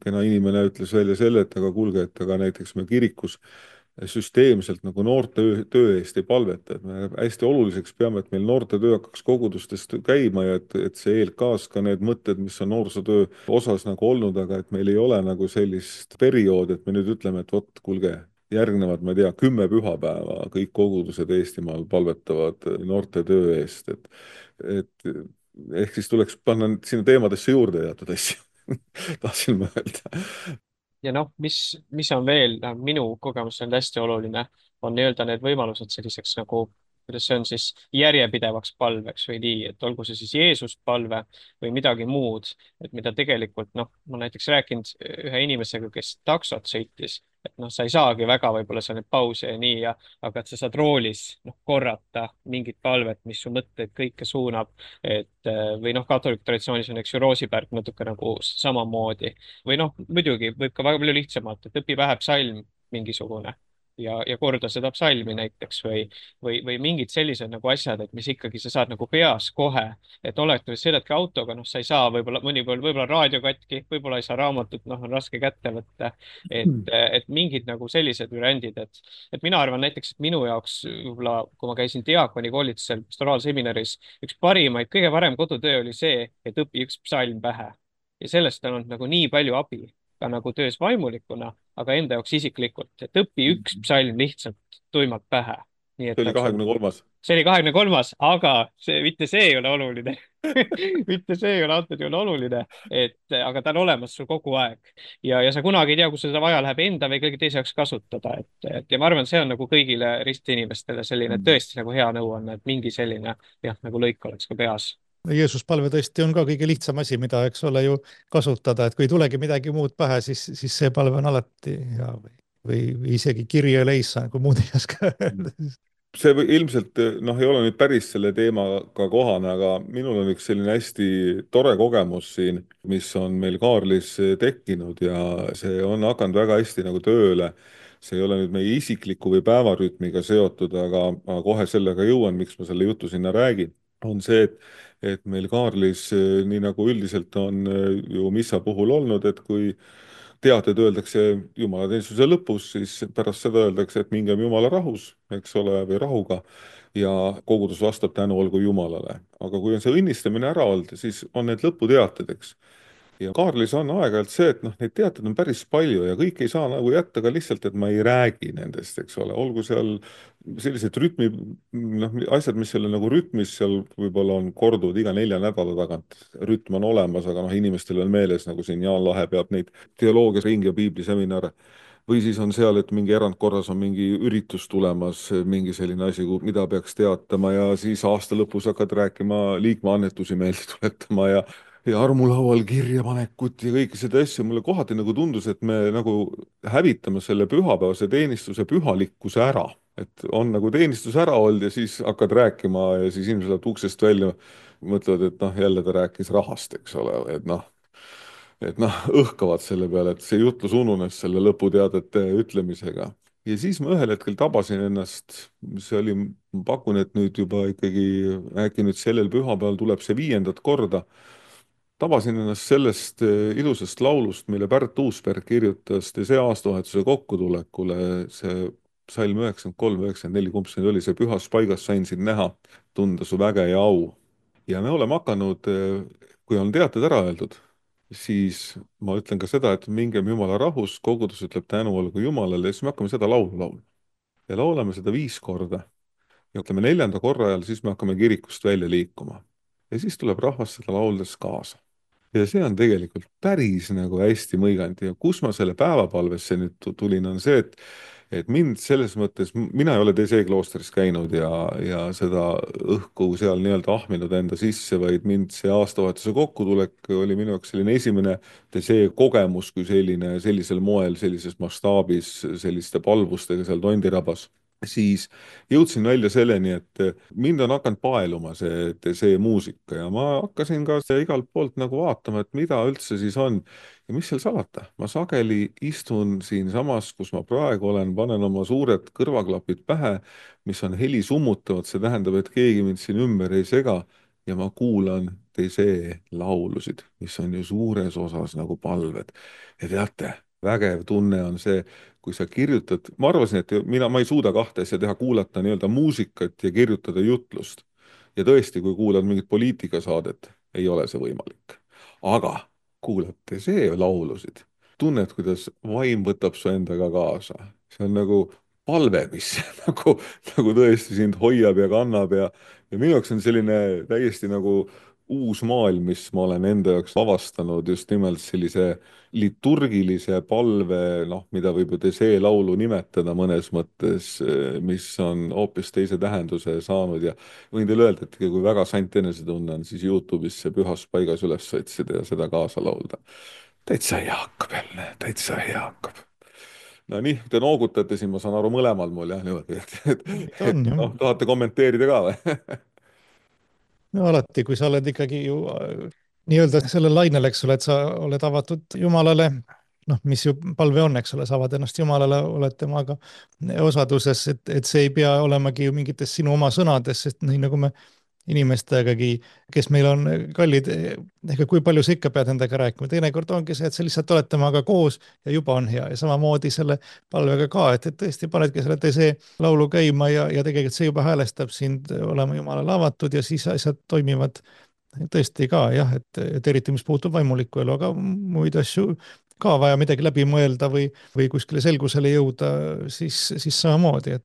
kena inimene ütles välja selle, et aga kuulge, et aga näiteks me kirikus süsteemselt nagu noorte töö eest ei palveta, et me hästi oluliseks peame, et meil noortetöö hakkaks kogudustest käima ja et see ELK-s ka need mõtted, mis on noorsootöö osas nagu olnud, aga et meil ei ole nagu sellist perioodi, et me nüüd ütleme, et vot kuulge, järgnevad, ma ei tea, 10 pühapäeva, kõik kogudused Eestimaal palvetavad noortetöö eest, et ehk siis tuleks panna sinna teemadesse juurde teatud asju tahtsin ma öelda. Ja mis on veel minu kogemus on hästi oluline, on nii-öelda need võimalused selliseks nagu kuidas see on siis järjepidevaks palveks või nii, et olgu see siis Jeesust palve või midagi muud, et mida tegelikult noh, ma näiteks rääkinud ühe inimesega, kes taksot sõitis, et noh, sa ei saagi väga võib-olla seal neid pause ja nii ja, aga et sa saad roolis noh, korrata mingit palvet, mis su mõtteid kõike suunab, et või noh, katoliku traditsioonis on, eks ju, Roosipärk natuke nagu samamoodi või noh, muidugi võib ka väga palju lihtsamalt, et õpi pähe psalm mingisugune ja korda seda psalmi näiteks või mingid sellised nagu asjad, et mis ikkagi sa saad nagu peas kohe, et oletavasti sõidadki autoga, noh, sa ei saa võib-olla mõnikord võib-olla raadio katki, võib-olla ei saa raamatut, noh, on raske kätte võtta, et mingid nagu sellised variandid, et mina arvan näiteks, et minu jaoks võib-olla, kui ma käisin diaakoni koolitusel pastoraalseminaris, üks parimaid, kõige parem kodutöö oli see, et õpi üks psalm pähe ja sellest on olnud nagu nii palju abi ka nagu töös vaimulikuna, aga enda jaoks isiklikult, et õpi üks psalm lihtsalt tuimalt pähe. Nii et see oli 23. See oli 23., aga mitte see ei ole oluline mitte see ei ole antud juhul oluline, et aga ta on olemas sul kogu aeg ja sa kunagi ei tea, kus seda vaja läheb enda või kellegi teise jaoks kasutada, et ja ma arvan, see on nagu kõigile ristinimestele selline tõesti nagu hea nõuanne, et mingi selline jah, nagu lõik oleks ka peas. Jeesus palve tõesti on ka kõige lihtsam asi, mida, eks ole, ju kasutada, et kui ei tulegi midagi muud pähe, siis see palve on alati hea või isegi Kyrie eleison, kui muud ei oska öelda. See ilmselt noh, ei ole nüüd päris selle teemaga kohane, aga minul on üks selline hästi tore kogemus siin, mis on meil Kaarlis tekkinud ja see on hakanud väga hästi nagu tööle. See ei ole nüüd meie isikliku või päevarütmiga seotud, aga kohe sellega jõuan, miks ma selle jutu sinna räägin, on see, et meil Kaarlis, nii nagu üldiselt on ju missa puhul olnud, et kui teated öeldakse jumalateenistuse lõpus, siis pärast seda öeldakse, et mingem Jumala rahus, eks ole, või rahuga ja kogudus vastab tänu olgu Jumalale. aga kui on see õnnistamine ära olnud, siis on need lõputeated, eks. Ja Kaarlis on aeg-ajalt see, et noh, neid teateid on päris palju ja kõik ei saa nagu jätta ka lihtsalt, et ma ei räägi nendest, eks ole, olgu seal sellised rütmi, noh, asjad, mis seal nagu rütmis seal võib-olla on korduvad iga 4 nädala tagant. Rütm on olemas, aga noh, inimestel on meeles, nagu siin Jaan Lahe peab neid teoloogias ringi ja piibliseminare. Või siis on seal, et mingi erandkorras on mingi üritus tulemas, mingi selline asi, mida peaks teatama ja siis aasta lõpus hakkad rääkima liikmeannetusi meelde tuletama ja armulaual kirjapanekut ja kõiki seda asja. Mulle kohati nagu tundus, et me nagu hävitame selle pühapäevase teenistuse pühalikkuse ära. Et on nagu teenistus ära olnud ja siis hakkad rääkima ja siis inimesed lähevad uksest välja, mõtlevad, et noh, jälle ta rääkis rahast, eks ole, et noh, õhkavad selle peale, et see jutlus ununes selle lõputeadete ütlemisega. Ja siis ma ühel hetkel tabasin ennast, see oli, ma pakun, et nüüd juba ikkagi äkki nüüd sellel pühapäeval tuleb see 5. korda, tabasin ennast sellest ilusast laulust, mille Pärt Uusberg kirjutas see aastavahetuse kokkutulekule, see salm 93-94, kumb see oli, see pühas paigas sain sind näha, tunda su väge ja au. Ja me oleme hakanud, kui on teated ära öeldud, siis ma ütlen ka seda, et mingem Jumala rahus, kogudus ütleb tänu olgu Jumalale ja siis me hakkame seda laulu laulma. Ja laulame seda 5 korda. Ja ütleme 4. korra ajal, siis me hakkame kirikust välja liikuma. Ja siis tuleb rahvas seda lauldes kaasa. Ja see on tegelikult päris nagu hästi mõiganud ja kus ma selle päevapalvesse nüüd tulin, on see, et mind selles mõttes, mina ei ole DZ kloostris käinud ja seda õhku seal nii-öelda ahminud enda sisse, vaid mind see aastavahetuse kokkutulek oli minu jaoks selline esimene DZ kogemus kui selline, sellisel moel, sellises mastaabis, selliste palvustega seal Tondirabas. Siis jõudsin välja selleni, et mind on hakanud paeluma see muusika ja ma hakkasin ka igalt poolt nagu vaatama, et mida üldse siis on ja mis seal salata. Ma sageli istun siinsamas, kus ma praegu olen, panen oma suured kõrvaklapid pähe, mis on heli summutavad, see tähendab, et keegi mind siin ümber ei sega ja ma kuulan teise laulusid, mis on ju suures osas nagu palved. Ja teate, vägev tunne on see, kui sa kirjutad, ma arvasin, et ma ei suuda kahte asja teha, kuulata nii-öelda muusikat ja kirjutada jutlust. Ja tõesti, kui kuulad mingit poliitikasaadet, ei ole see võimalik. Aga kuulate see laulusid, tunned, kuidas vaim võtab su endaga kaasa. See on nagu palve, mis nagu tõesti sind hoiab ja kannab ja minu jaoks on selline täiesti nagu uus maailm, mis ma olen enda jaoks avastanud just nimelt sellise liturgilise palve, noh, mida võib ju see laulu nimetada mõnes mõttes, mis on hoopis teise tähenduse saanud ja võin teile öelda, et kui väga sant enesetunne on, siis Youtube'is see Pühas paigas üles otsida ja seda kaasa laulda. Täitsa hea hakkab jälle, täitsa hea hakkab. No nii, te noogutate siin, ma saan aru mõlemal mul jah, niimoodi, on ju. noh, tahate kommenteerida ka või? No alati, kui sa oled ikkagi ju nii-öelda sellel lainel, eks ole, et sa oled avatud Jumalale, noh, mis ju palve on, eks ole, sa avad ennast Jumalale, oled temaga osaduses, et see ei pea olemagi ju mingites sinu oma sõnades, sest nii nagu me inimestegagi, kes meil on kallid, ega kui palju sa ikka pead nendega rääkima, teinekord ongi see, et sa lihtsalt oled temaga koos ja juba on hea ja samamoodi selle palvega ka, et tõesti panedki selle teise laulu käima ja tegelikult see juba häälestab sind olema Jumalale avatud ja siis asjad toimivad tõesti ka jah, et eriti mis puutub vaimulikku elu, aga muid asju ka vaja midagi läbi mõelda või kuskile selgusele jõuda, siis samamoodi,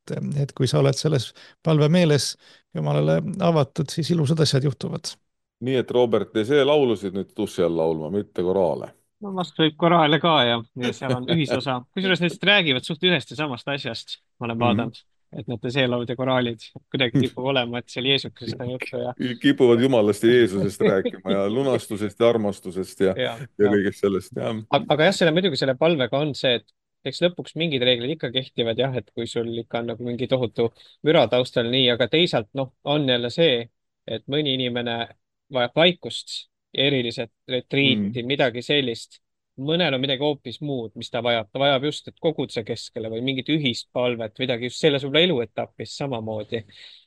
et kui sa oled selles palve meeles Jumalale avatud, siis ilusad asjad juhtuvad. Nii et Robert, te see laulusid nüüd duši all laulma, mitte koraale. no vast võib koraale ka ja seal on ühisosa. Kusjuures need lihtsalt räägivad suht ühest ja samast asjast, ma olen vaadanud, et need teeseelaud ja koraalid kuidagi kipub olema, et seal Jeesusest on juttu ja Kipuvad Jumalast ja Jeesusest rääkima ja lunastusest ja armastusest ja ja. kõigest sellest, jah. Aga jah, muidugi selle palvega on see, et eks lõpuks mingid reeglid ikka kehtivad jah, et kui sul ikka on nagu mingi tohutu müra taustal nii, aga teisalt noh, on jälle see, et mõni inimene vajab vaikust, eriliselt retriiti, midagi sellist. Mõnel on midagi hoopis muud, mis ta vajab just, et koguduse keskele või mingit ühist palvet, midagi just selles võib-olla eluetapis samamoodi.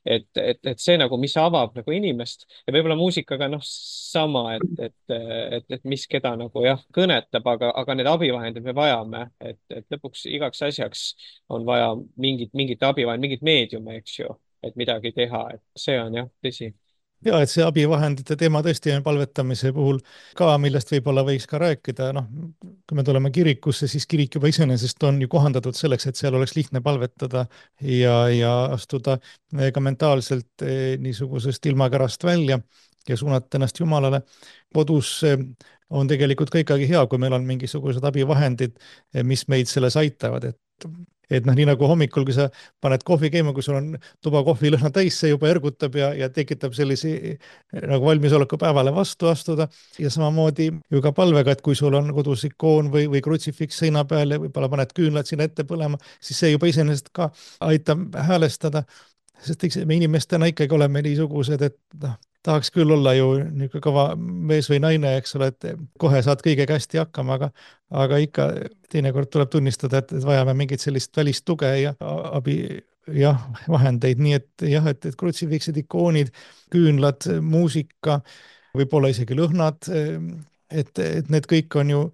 Et see nagu, mis avab nagu inimest ja võib-olla muusikaga noh, sama, et mis keda nagu jah, kõnetab, aga need abivahendid me vajame, et lõpuks igaks asjaks on vaja mingit abivahendit, mingit meediumi, eks ju, et midagi teha, et see on jah, tõsi. Ja et see abivahendite teema tõesti on palvetamise puhul ka, millest võib-olla võiks ka rääkida, noh, kui me tuleme kirikusse, siis kirik juba iseenesest on ju kohandatud selleks, et seal oleks lihtne palvetada ja astuda ka mentaalselt niisugusest ilmakärast välja ja suunata ennast Jumalale. Kodus on tegelikult ka ikkagi hea, kui meil on mingisugused abivahendid, mis meid selles aitavad, et noh, nii nagu hommikul, kui sa paned kohvi käima, kui sul on tuba kohvilõhna täis, see juba ergutab ja tekitab sellisi nagu valmisoleku päevale vastu astuda ja samamoodi ju ka palvega, et kui sul on kodus ikoon või krutsifiks seina peal ja võib-olla paned küünlad sinna ette põlema, siis see juba iseenesest ka aitab häälestada, sest eks me inimestena ikkagi oleme niisugused, et noh, tahaks küll olla ju niisugune kõva mees või naine, eks ole, et kohe saad kõigega hästi hakkama, aga ikka teinekord tuleb tunnistada, et vajame mingit sellist välist tuge ja abi, jah, vahendeid, nii et jah, et krutsifiksid, ikoonid, küünlad, muusika, võib-olla isegi lõhnad, et need kõik on ju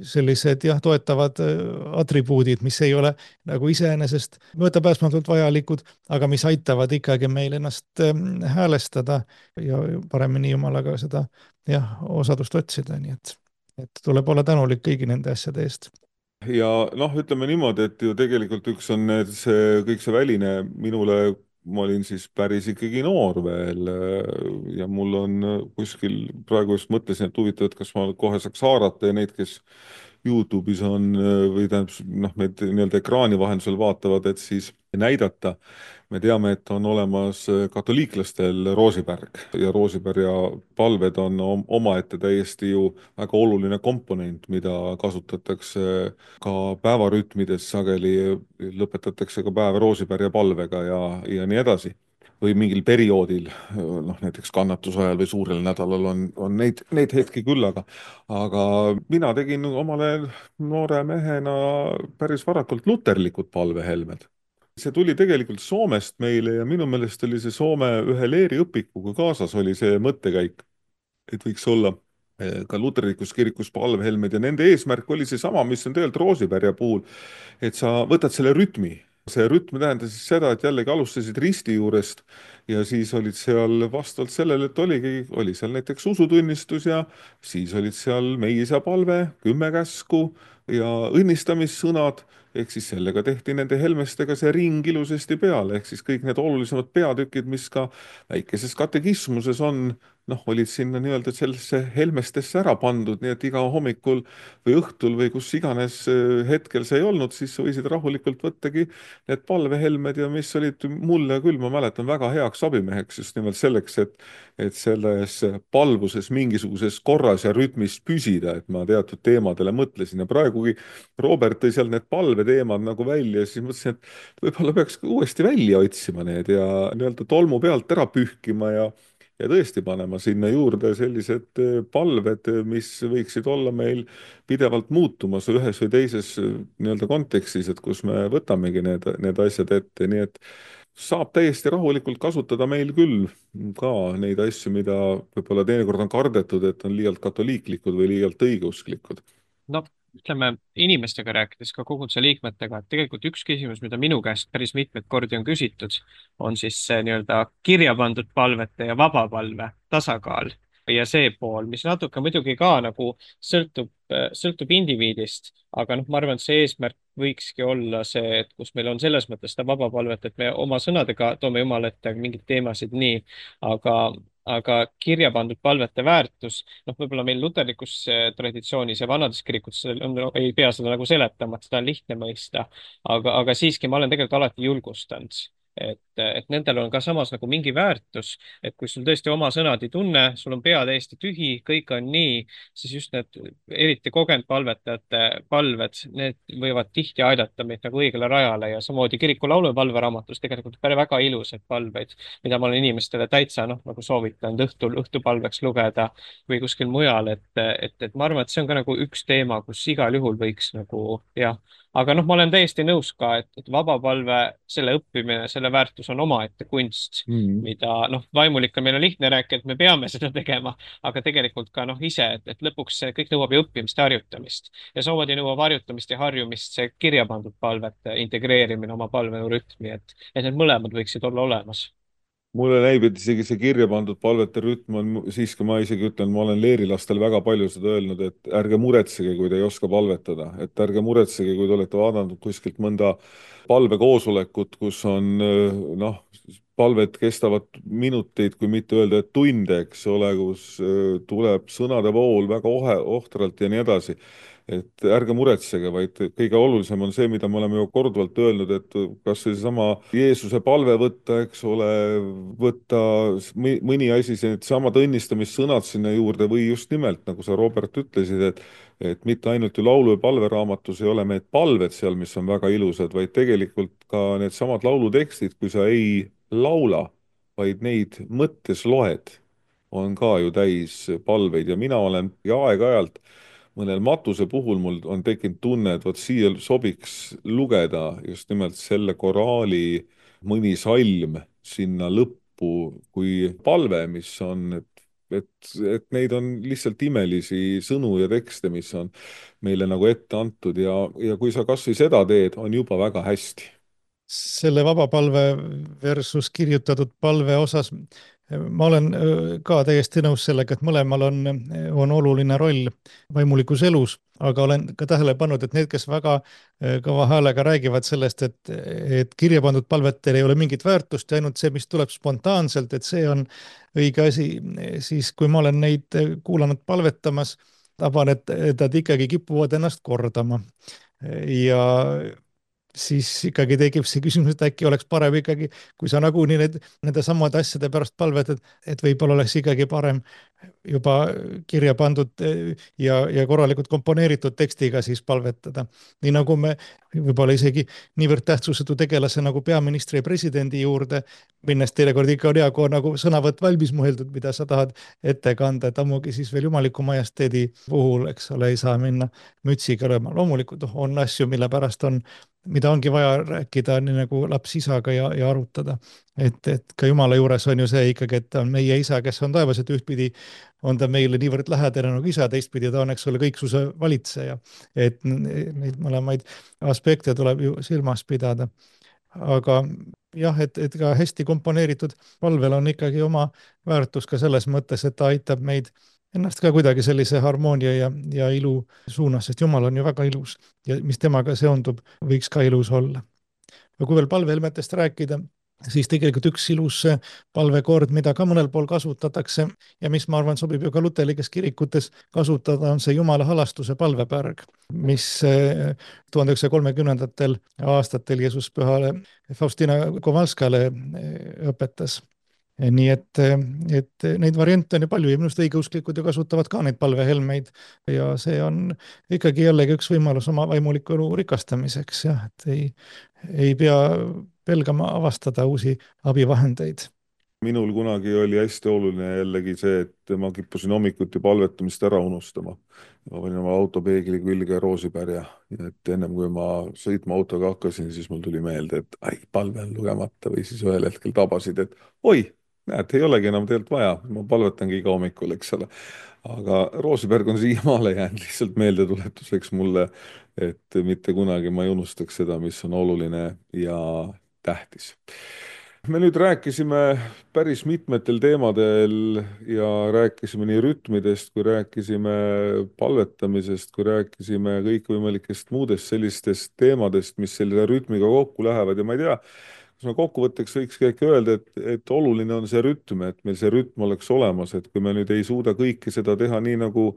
sellised jah, toetavad atribuudid, mis ei ole nagu iseenesest möödapääsmatult vajalikud, aga mis aitavad ikkagi meil ennast häälestada ja paremini Jumalaga seda jah, osadust otsida, nii et tuleb olla tänulik kõigi nende asjade eest. Ja noh, ütleme niimoodi, et ju tegelikult üks on kõik see väline minule, ma olin siis päris ikkagi noor veel ja mul on kuskil, praegu just mõtlesin, et huvitav, et kas ma kohe saaks haarata ja neid, kes Youtube'is on või tähendab, noh, meid nii-öelda ekraani vahendusel vaatavad, et siis näidata. Me teame, et on olemas katoliiklastel roosipärg ja roosipärja palved on omaette täiesti ju väga oluline komponent, mida kasutatakse ka päevarütmides sageli, lõpetatakse ka päev roosipärja palvega ja nii edasi. Või mingil perioodil, noh näiteks kannatuse ajal või suurel nädalal on neid hetki küll, aga mina tegin omale noore mehena päris varakult luterlikud palvehelmed. See tuli tegelikult Soomest meile ja minu meelest oli see Soome ühe leeriõpikuga kaasas oli see mõttekäik, et võiks olla ka luterlikus kirikus palvehelmed ja nende eesmärk oli seesama, mis on tegelikult roosipärja puhul, et sa võtad selle rütmi. See rütm tähendas siis seda, et jällegi alustasid risti juurest ja siis olid seal vastavalt sellele, et oli seal näiteks usutunnistus ja siis olid seal Meie-Isa palve, 10 käsku ja õnnistamissõnad, ehk siis sellega tehti nende helmestega see ring ilusasti peale, ehk siis kõik need olulisemad peatükid, mis ka väikeses katekismuses on, noh, olid sinna nii-öelda sellesse helmestesse ära pandud, nii et iga hommikul või õhtul või kus iganes hetkel see ei olnud, siis võisid rahulikult võttagi need palvehelmed ja mis olid mulle küll, ma mäletan, väga heaks abimeheks just nimelt selleks, et selles palvuses mingisuguses korras ja rütmis püsida, et ma teatud teemadele mõtlesin ja praegugi Robert tõi seal need palveteemad nagu välja ja siis mõtlesin, et võib-olla peaks uuesti välja otsima need ja nii-öelda tolmu pealt ära pühkima ja tõesti panema sinna juurde sellised palved, mis võiksid olla meil pidevalt muutumas ühes või teises nii-öelda kontekstis, et kus me võtamegi need asjad ette, nii et saab täiesti rahulikult kasutada meil küll ka neid asju, mida võib-olla teinekord on kardetud, et on liialt katoliiklikud või liialt õigeusklikud. no ütleme inimestega rääkides, ka koguduse liikmetega, et tegelikult üks küsimus, mida minu käest päris mitmeid kordi on küsitud, on siis see nii-öelda kirja pandud palvete ja vabapalve tasakaal ja see pool, mis natuke muidugi ka nagu sõltub indiviidist, aga noh, ma arvan, et see eesmärk võikski olla see, et kus meil on selles mõttes seda vabapalvet, et me oma sõnadega toome Jumala ette mingeid teemasid nii, aga kirja pandud palvete väärtus, noh, võib-olla meil luterlikus traditsioonis ja vanades kirikutes ei pea seda nagu seletama, et seda on lihtne mõista, aga siiski ma olen tegelikult alati julgustanud, et nendel on ka samas nagu mingi väärtus, et kui sul tõesti oma sõnad ei tunne, sul on pea täiesti tühi, kõik on nii, siis just need eriti kogenud palvetajate palved, need võivad tihti aidata meid nagu õigele rajale ja samamoodi kiriku laulu- ja palveraamatus tegelikult väga ilusaid palveid, mida ma olen inimestele täitsa noh, nagu soovitanud õhtupalveks lugeda või kuskil mujal, et ma arvan, et see on ka nagu üks teema, kus igal juhul võiks nagu jah, aga noh, ma olen täiesti nõus ka, et vabapalve, selle õppimine, selle väärtus on omaette kunst, mida noh, vaimulikul meil on lihtne rääkida, et me peame seda tegema, aga tegelikult ka noh, ise, et lõpuks see kõik nõuab ju õppimist ja harjutamist ja samamoodi nõuab harjutamist ja harjumist see kirja pandud palvete integreerimine oma palverütmi, et need mõlemad võiksid olla olemas. Mulle näib, et isegi see kirja pandud palvete rütm on siiski, ma isegi ütlen, ma olen leerilastel väga palju seda öelnud, et ärge muretsege, kui te ei oska palvetada, et ärge muretsege, kui te olete vaadanud kuskilt mõnda palvekoosolekut, kus on noh, palved kestavad minuteid, kui mitte öelda, et tunde, eks ole, kus tuleb sõnade vool väga ohtralt ja nii edasi. Et ärge muretsege, vaid kõige olulisem on see, mida me oleme ju korduvalt öelnud, et kas või seesama Jeesuse palve võtta, eks ole, võtta mõni asi, samad õnnistamissõnad sinna juurde või just nimelt, nagu sa, Robert, ütlesid, et mitte ainult ju laulu- ja palveraamatus ei ole need palved seal, mis on väga ilusad, vaid tegelikult ka needsamad laulutekstid, kui sa ei laula, vaid neid mõttes loed, on ka ju täis palveid ja mina olen ja aeg-ajalt mõnel matuse puhul mul on tekkinud tunne, et vot siia sobiks lugeda just nimelt selle koraali mõni salm sinna lõppu kui palve, mis on, et neid on lihtsalt imelisi sõnu ja tekste, mis on meile nagu ette antud ja kui sa kas või seda teed, on juba väga hästi. Selle vabapalve versus kirjutatud palve osas ma olen ka täiesti nõus sellega, et mõlemal on oluline roll vaimulikus elus, aga olen ka tähele pannud, et need, kes väga kõva häälega räägivad sellest, et kirja pandud palvetel ei ole mingit väärtust ja ainult see, mis tuleb spontaanselt, et see on õige asi, siis kui ma olen neid kuulanud palvetamas, taban, et nad ikkagi kipuvad ennast kordama ja siis ikkagi tekib see küsimus, et äkki oleks parem ikkagi, kui sa nagunii nende samade asjade pärast palvetad, et võib-olla oleks ikkagi parem juba kirja pandud ja korralikult komponeeritud tekstiga siis palvetada. Nii nagu me võib-olla isegi niivõrd tähtsusetu tegelase nagu peaministri ja presidendi juurde, minnes teinekord ikka on hea, kui on nagu sõnavõtt valmis mõeldud, mida sa tahad ette kanda, et ammugi siis veel jumaliku majesteedi puhul, eks ole, ei saa minna mütsiga lööma. Loomulikult on asju, mille pärast mida ongi vaja rääkida nii nagu laps isaga ja arutada. Et ka Jumala juures on ju see ikkagi, et ta on meie isa, kes on taevas, et ühtpidi on ta meile niivõrd lähedane nagu isa, teistpidi ta on, eks ole, kõiksuse valitseja. Et neid mõlemaid aspekte tuleb ju silmas pidada. aga jah, et ka hästi komponeeritud palvel on ikkagi oma väärtus ka selles mõttes, et ta aitab meid ennast ka kuidagi sellise harmoonia ja ilu suunas, sest Jumal on ju väga ilus ja mis temaga seondub, võiks ka ilus olla. ja kui veel palvehelmetest rääkida, siis tegelikult üks ilus palvekord, mida ka mõnel pool kasutatakse ja mis ma arvan, sobib ju ka luterlikes kirikutes kasutada, on see Jumala halastuse palvepärg, mis 1930. aastatel Jeesus pühale Faustina Kowalskale õpetas. nii et neid variante on ju palju ja minu arust õigeusklikud ju kasutavad ka neid palvehelmeid ja see on ikkagi jällegi üks võimalus oma vaimuliku elu rikastamiseks, jah, et ei pea pelgama avastada uusi abivahendeid. Minul kunagi oli hästi oluline jällegi see, et ma kippusin hommikuti palvetamist ära unustama. Ma panin oma autopeegli külge roosipärja, et ennem kui ma sõitma autoga hakkasin, siis mul tuli meelde, et palve on lugemata või siis ühel hetkel tabasid, et oi, näed, ei olegi enam tegelikult vaja, ma palvetangi iga hommikul, eks ole. Aga roosipärg on siiamaale jäänud lihtsalt meeldetuletuseks mulle, et mitte kunagi ma ei unustaks seda, mis on oluline ja tähtis. Me nüüd rääkisime päris mitmetel teemadel ja rääkisime nii rütmidest, kui rääkisime palvetamisest, kui rääkisime kõikvõimalikest muudest sellistest teemadest, mis selle rütmiga kokku lähevad ja ma ei tea, kas me kokkuvõtteks võikski äkki öelda, et oluline on see rütm, et meil see rütm oleks olemas, et kui me nüüd ei suuda kõike seda teha nii, nagu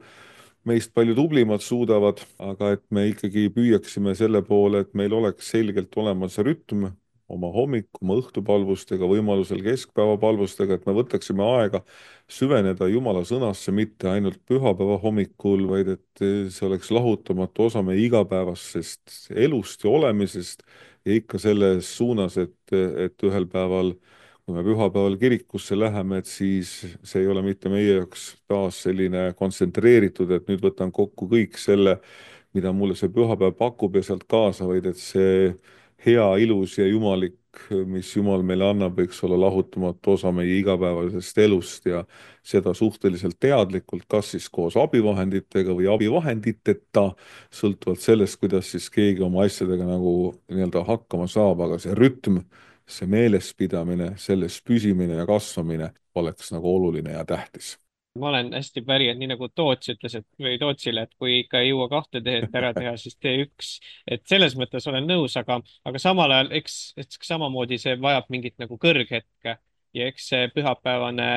meist palju tublimad suudavad, aga et me ikkagi püüaksime selle poole, et meil oleks selgelt olemas rütm, oma hommiku, oma õhtupalvustega, võimalusel keskpäevapalvustega, et me võtaksime aega süveneda Jumala sõnasse mitte ainult pühapäeva hommikul, vaid et see oleks lahutamatu osa meie igapäevasest elust ja olemisest ja ikka selles suunas, et ühel päeval, kui me pühapäeval kirikusse läheme, et siis see ei ole mitte meie jaoks taas selline kontsentreeritud, et nüüd võtan kokku kõik selle, mida mulle see pühapäev pakub ja sealt kaasa, vaid et see hea, ilus ja jumalik, mis Jumal meile annab, võiks olla lahutamatu osa meie igapäevasest elust ja seda suhteliselt teadlikult, kas siis koos abivahenditega või abivahenditeta, sõltuvalt sellest, kuidas siis keegi oma asjadega nagu nii-öelda hakkama saab, aga see rütm, see meelespidamine, selles püsimine ja kasvamine oleks nagu oluline ja tähtis. Ma olen hästi päri, et nii nagu Toots ütles, et või Tootsile, et kui ikka ei jõua 2 teed ära teha, siis tee 1. Et selles mõttes olen nõus, aga samal ajal, eks samamoodi see vajab mingit nagu kõrghetke ja eks see pühapäevane,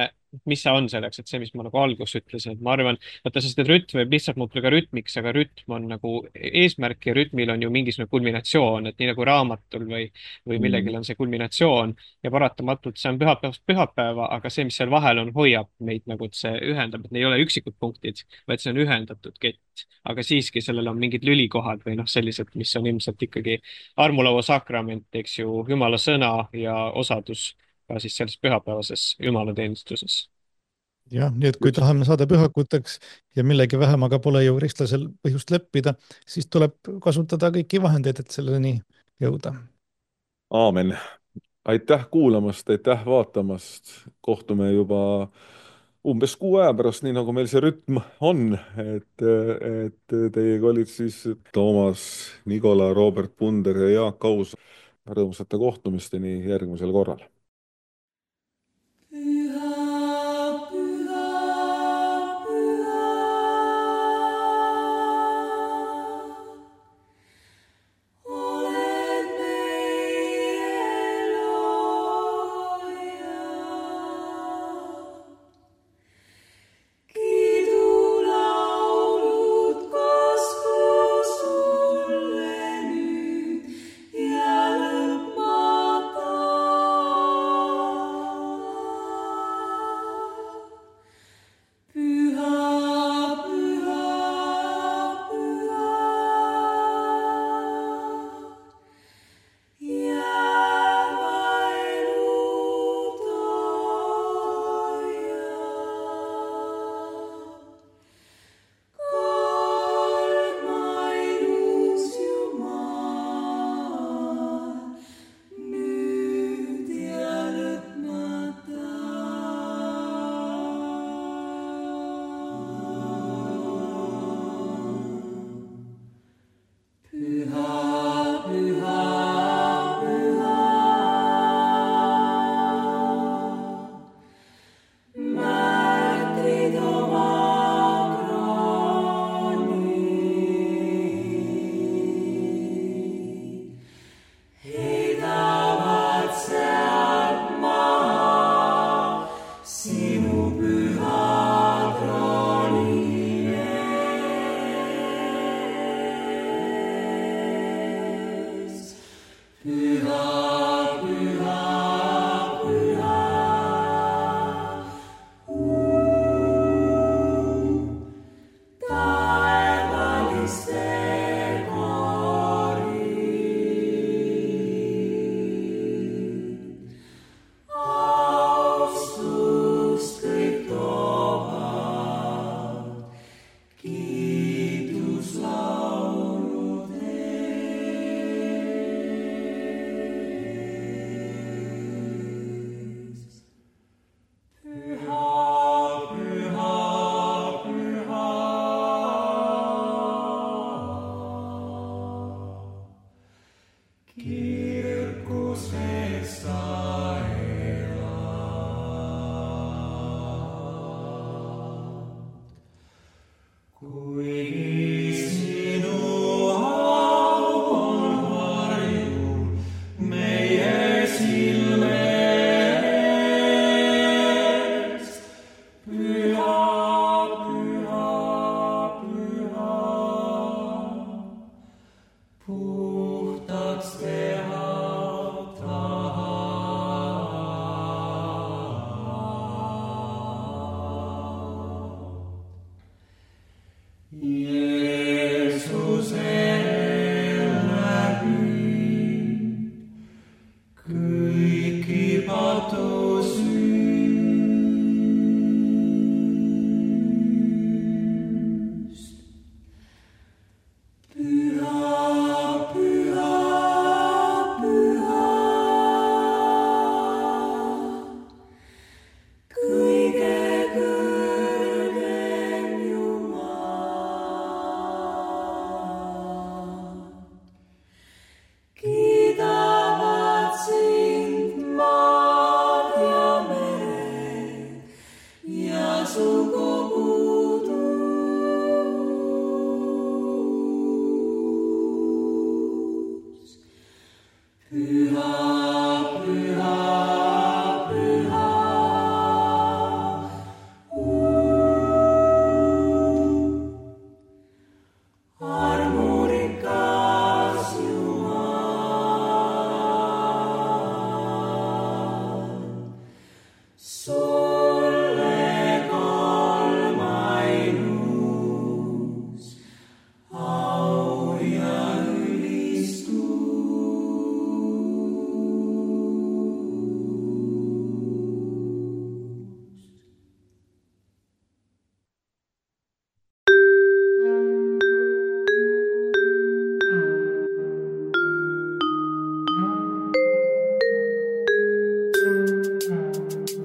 mis see on selleks, et see, mis ma nagu alguses ütlesin, et ma arvan, vaata, sest et rütm võib lihtsalt muutuda ka rütmiks, aga rütm on nagu eesmärk ja rütmil on ju mingisugune kulminatsioon, et nii nagu raamatul või millegil on see kulminatsioon ja paratamatult see on pühapäevast pühapäeva, aga see, mis seal vahel on, hoiab meid nagu, et see ühendab, et ne ei ole üksikud punktid, vaid see on ühendatud kett. Aga siiski sellel on mingid lülikohad või noh, sellised, mis on ilmselt ikkagi armulaua sakrament, eks ju, Jumala sõna ja osadus ka siis selles pühapäevases jumalateenistuses. jah, nii et kui tahame saada pühakuteks ja millegi vähemaga pole ju kristlasel põhjust leppida, siis tuleb kasutada kõiki vahendeid, et selleni jõuda. Aamen. Aitäh kuulamast, aitäh vaatamast. Kohtume juba umbes 6 aja pärast, nii nagu meil see rütm on, et teiega olid siis Toomas, Nikola, Robert Punder ja Jaak Aus. Rõõmsate kohtumisteni järgmisel korral.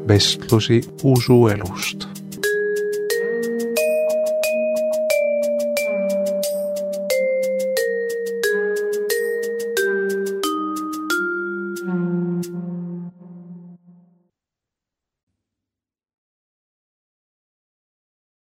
Vestlusi usuelust.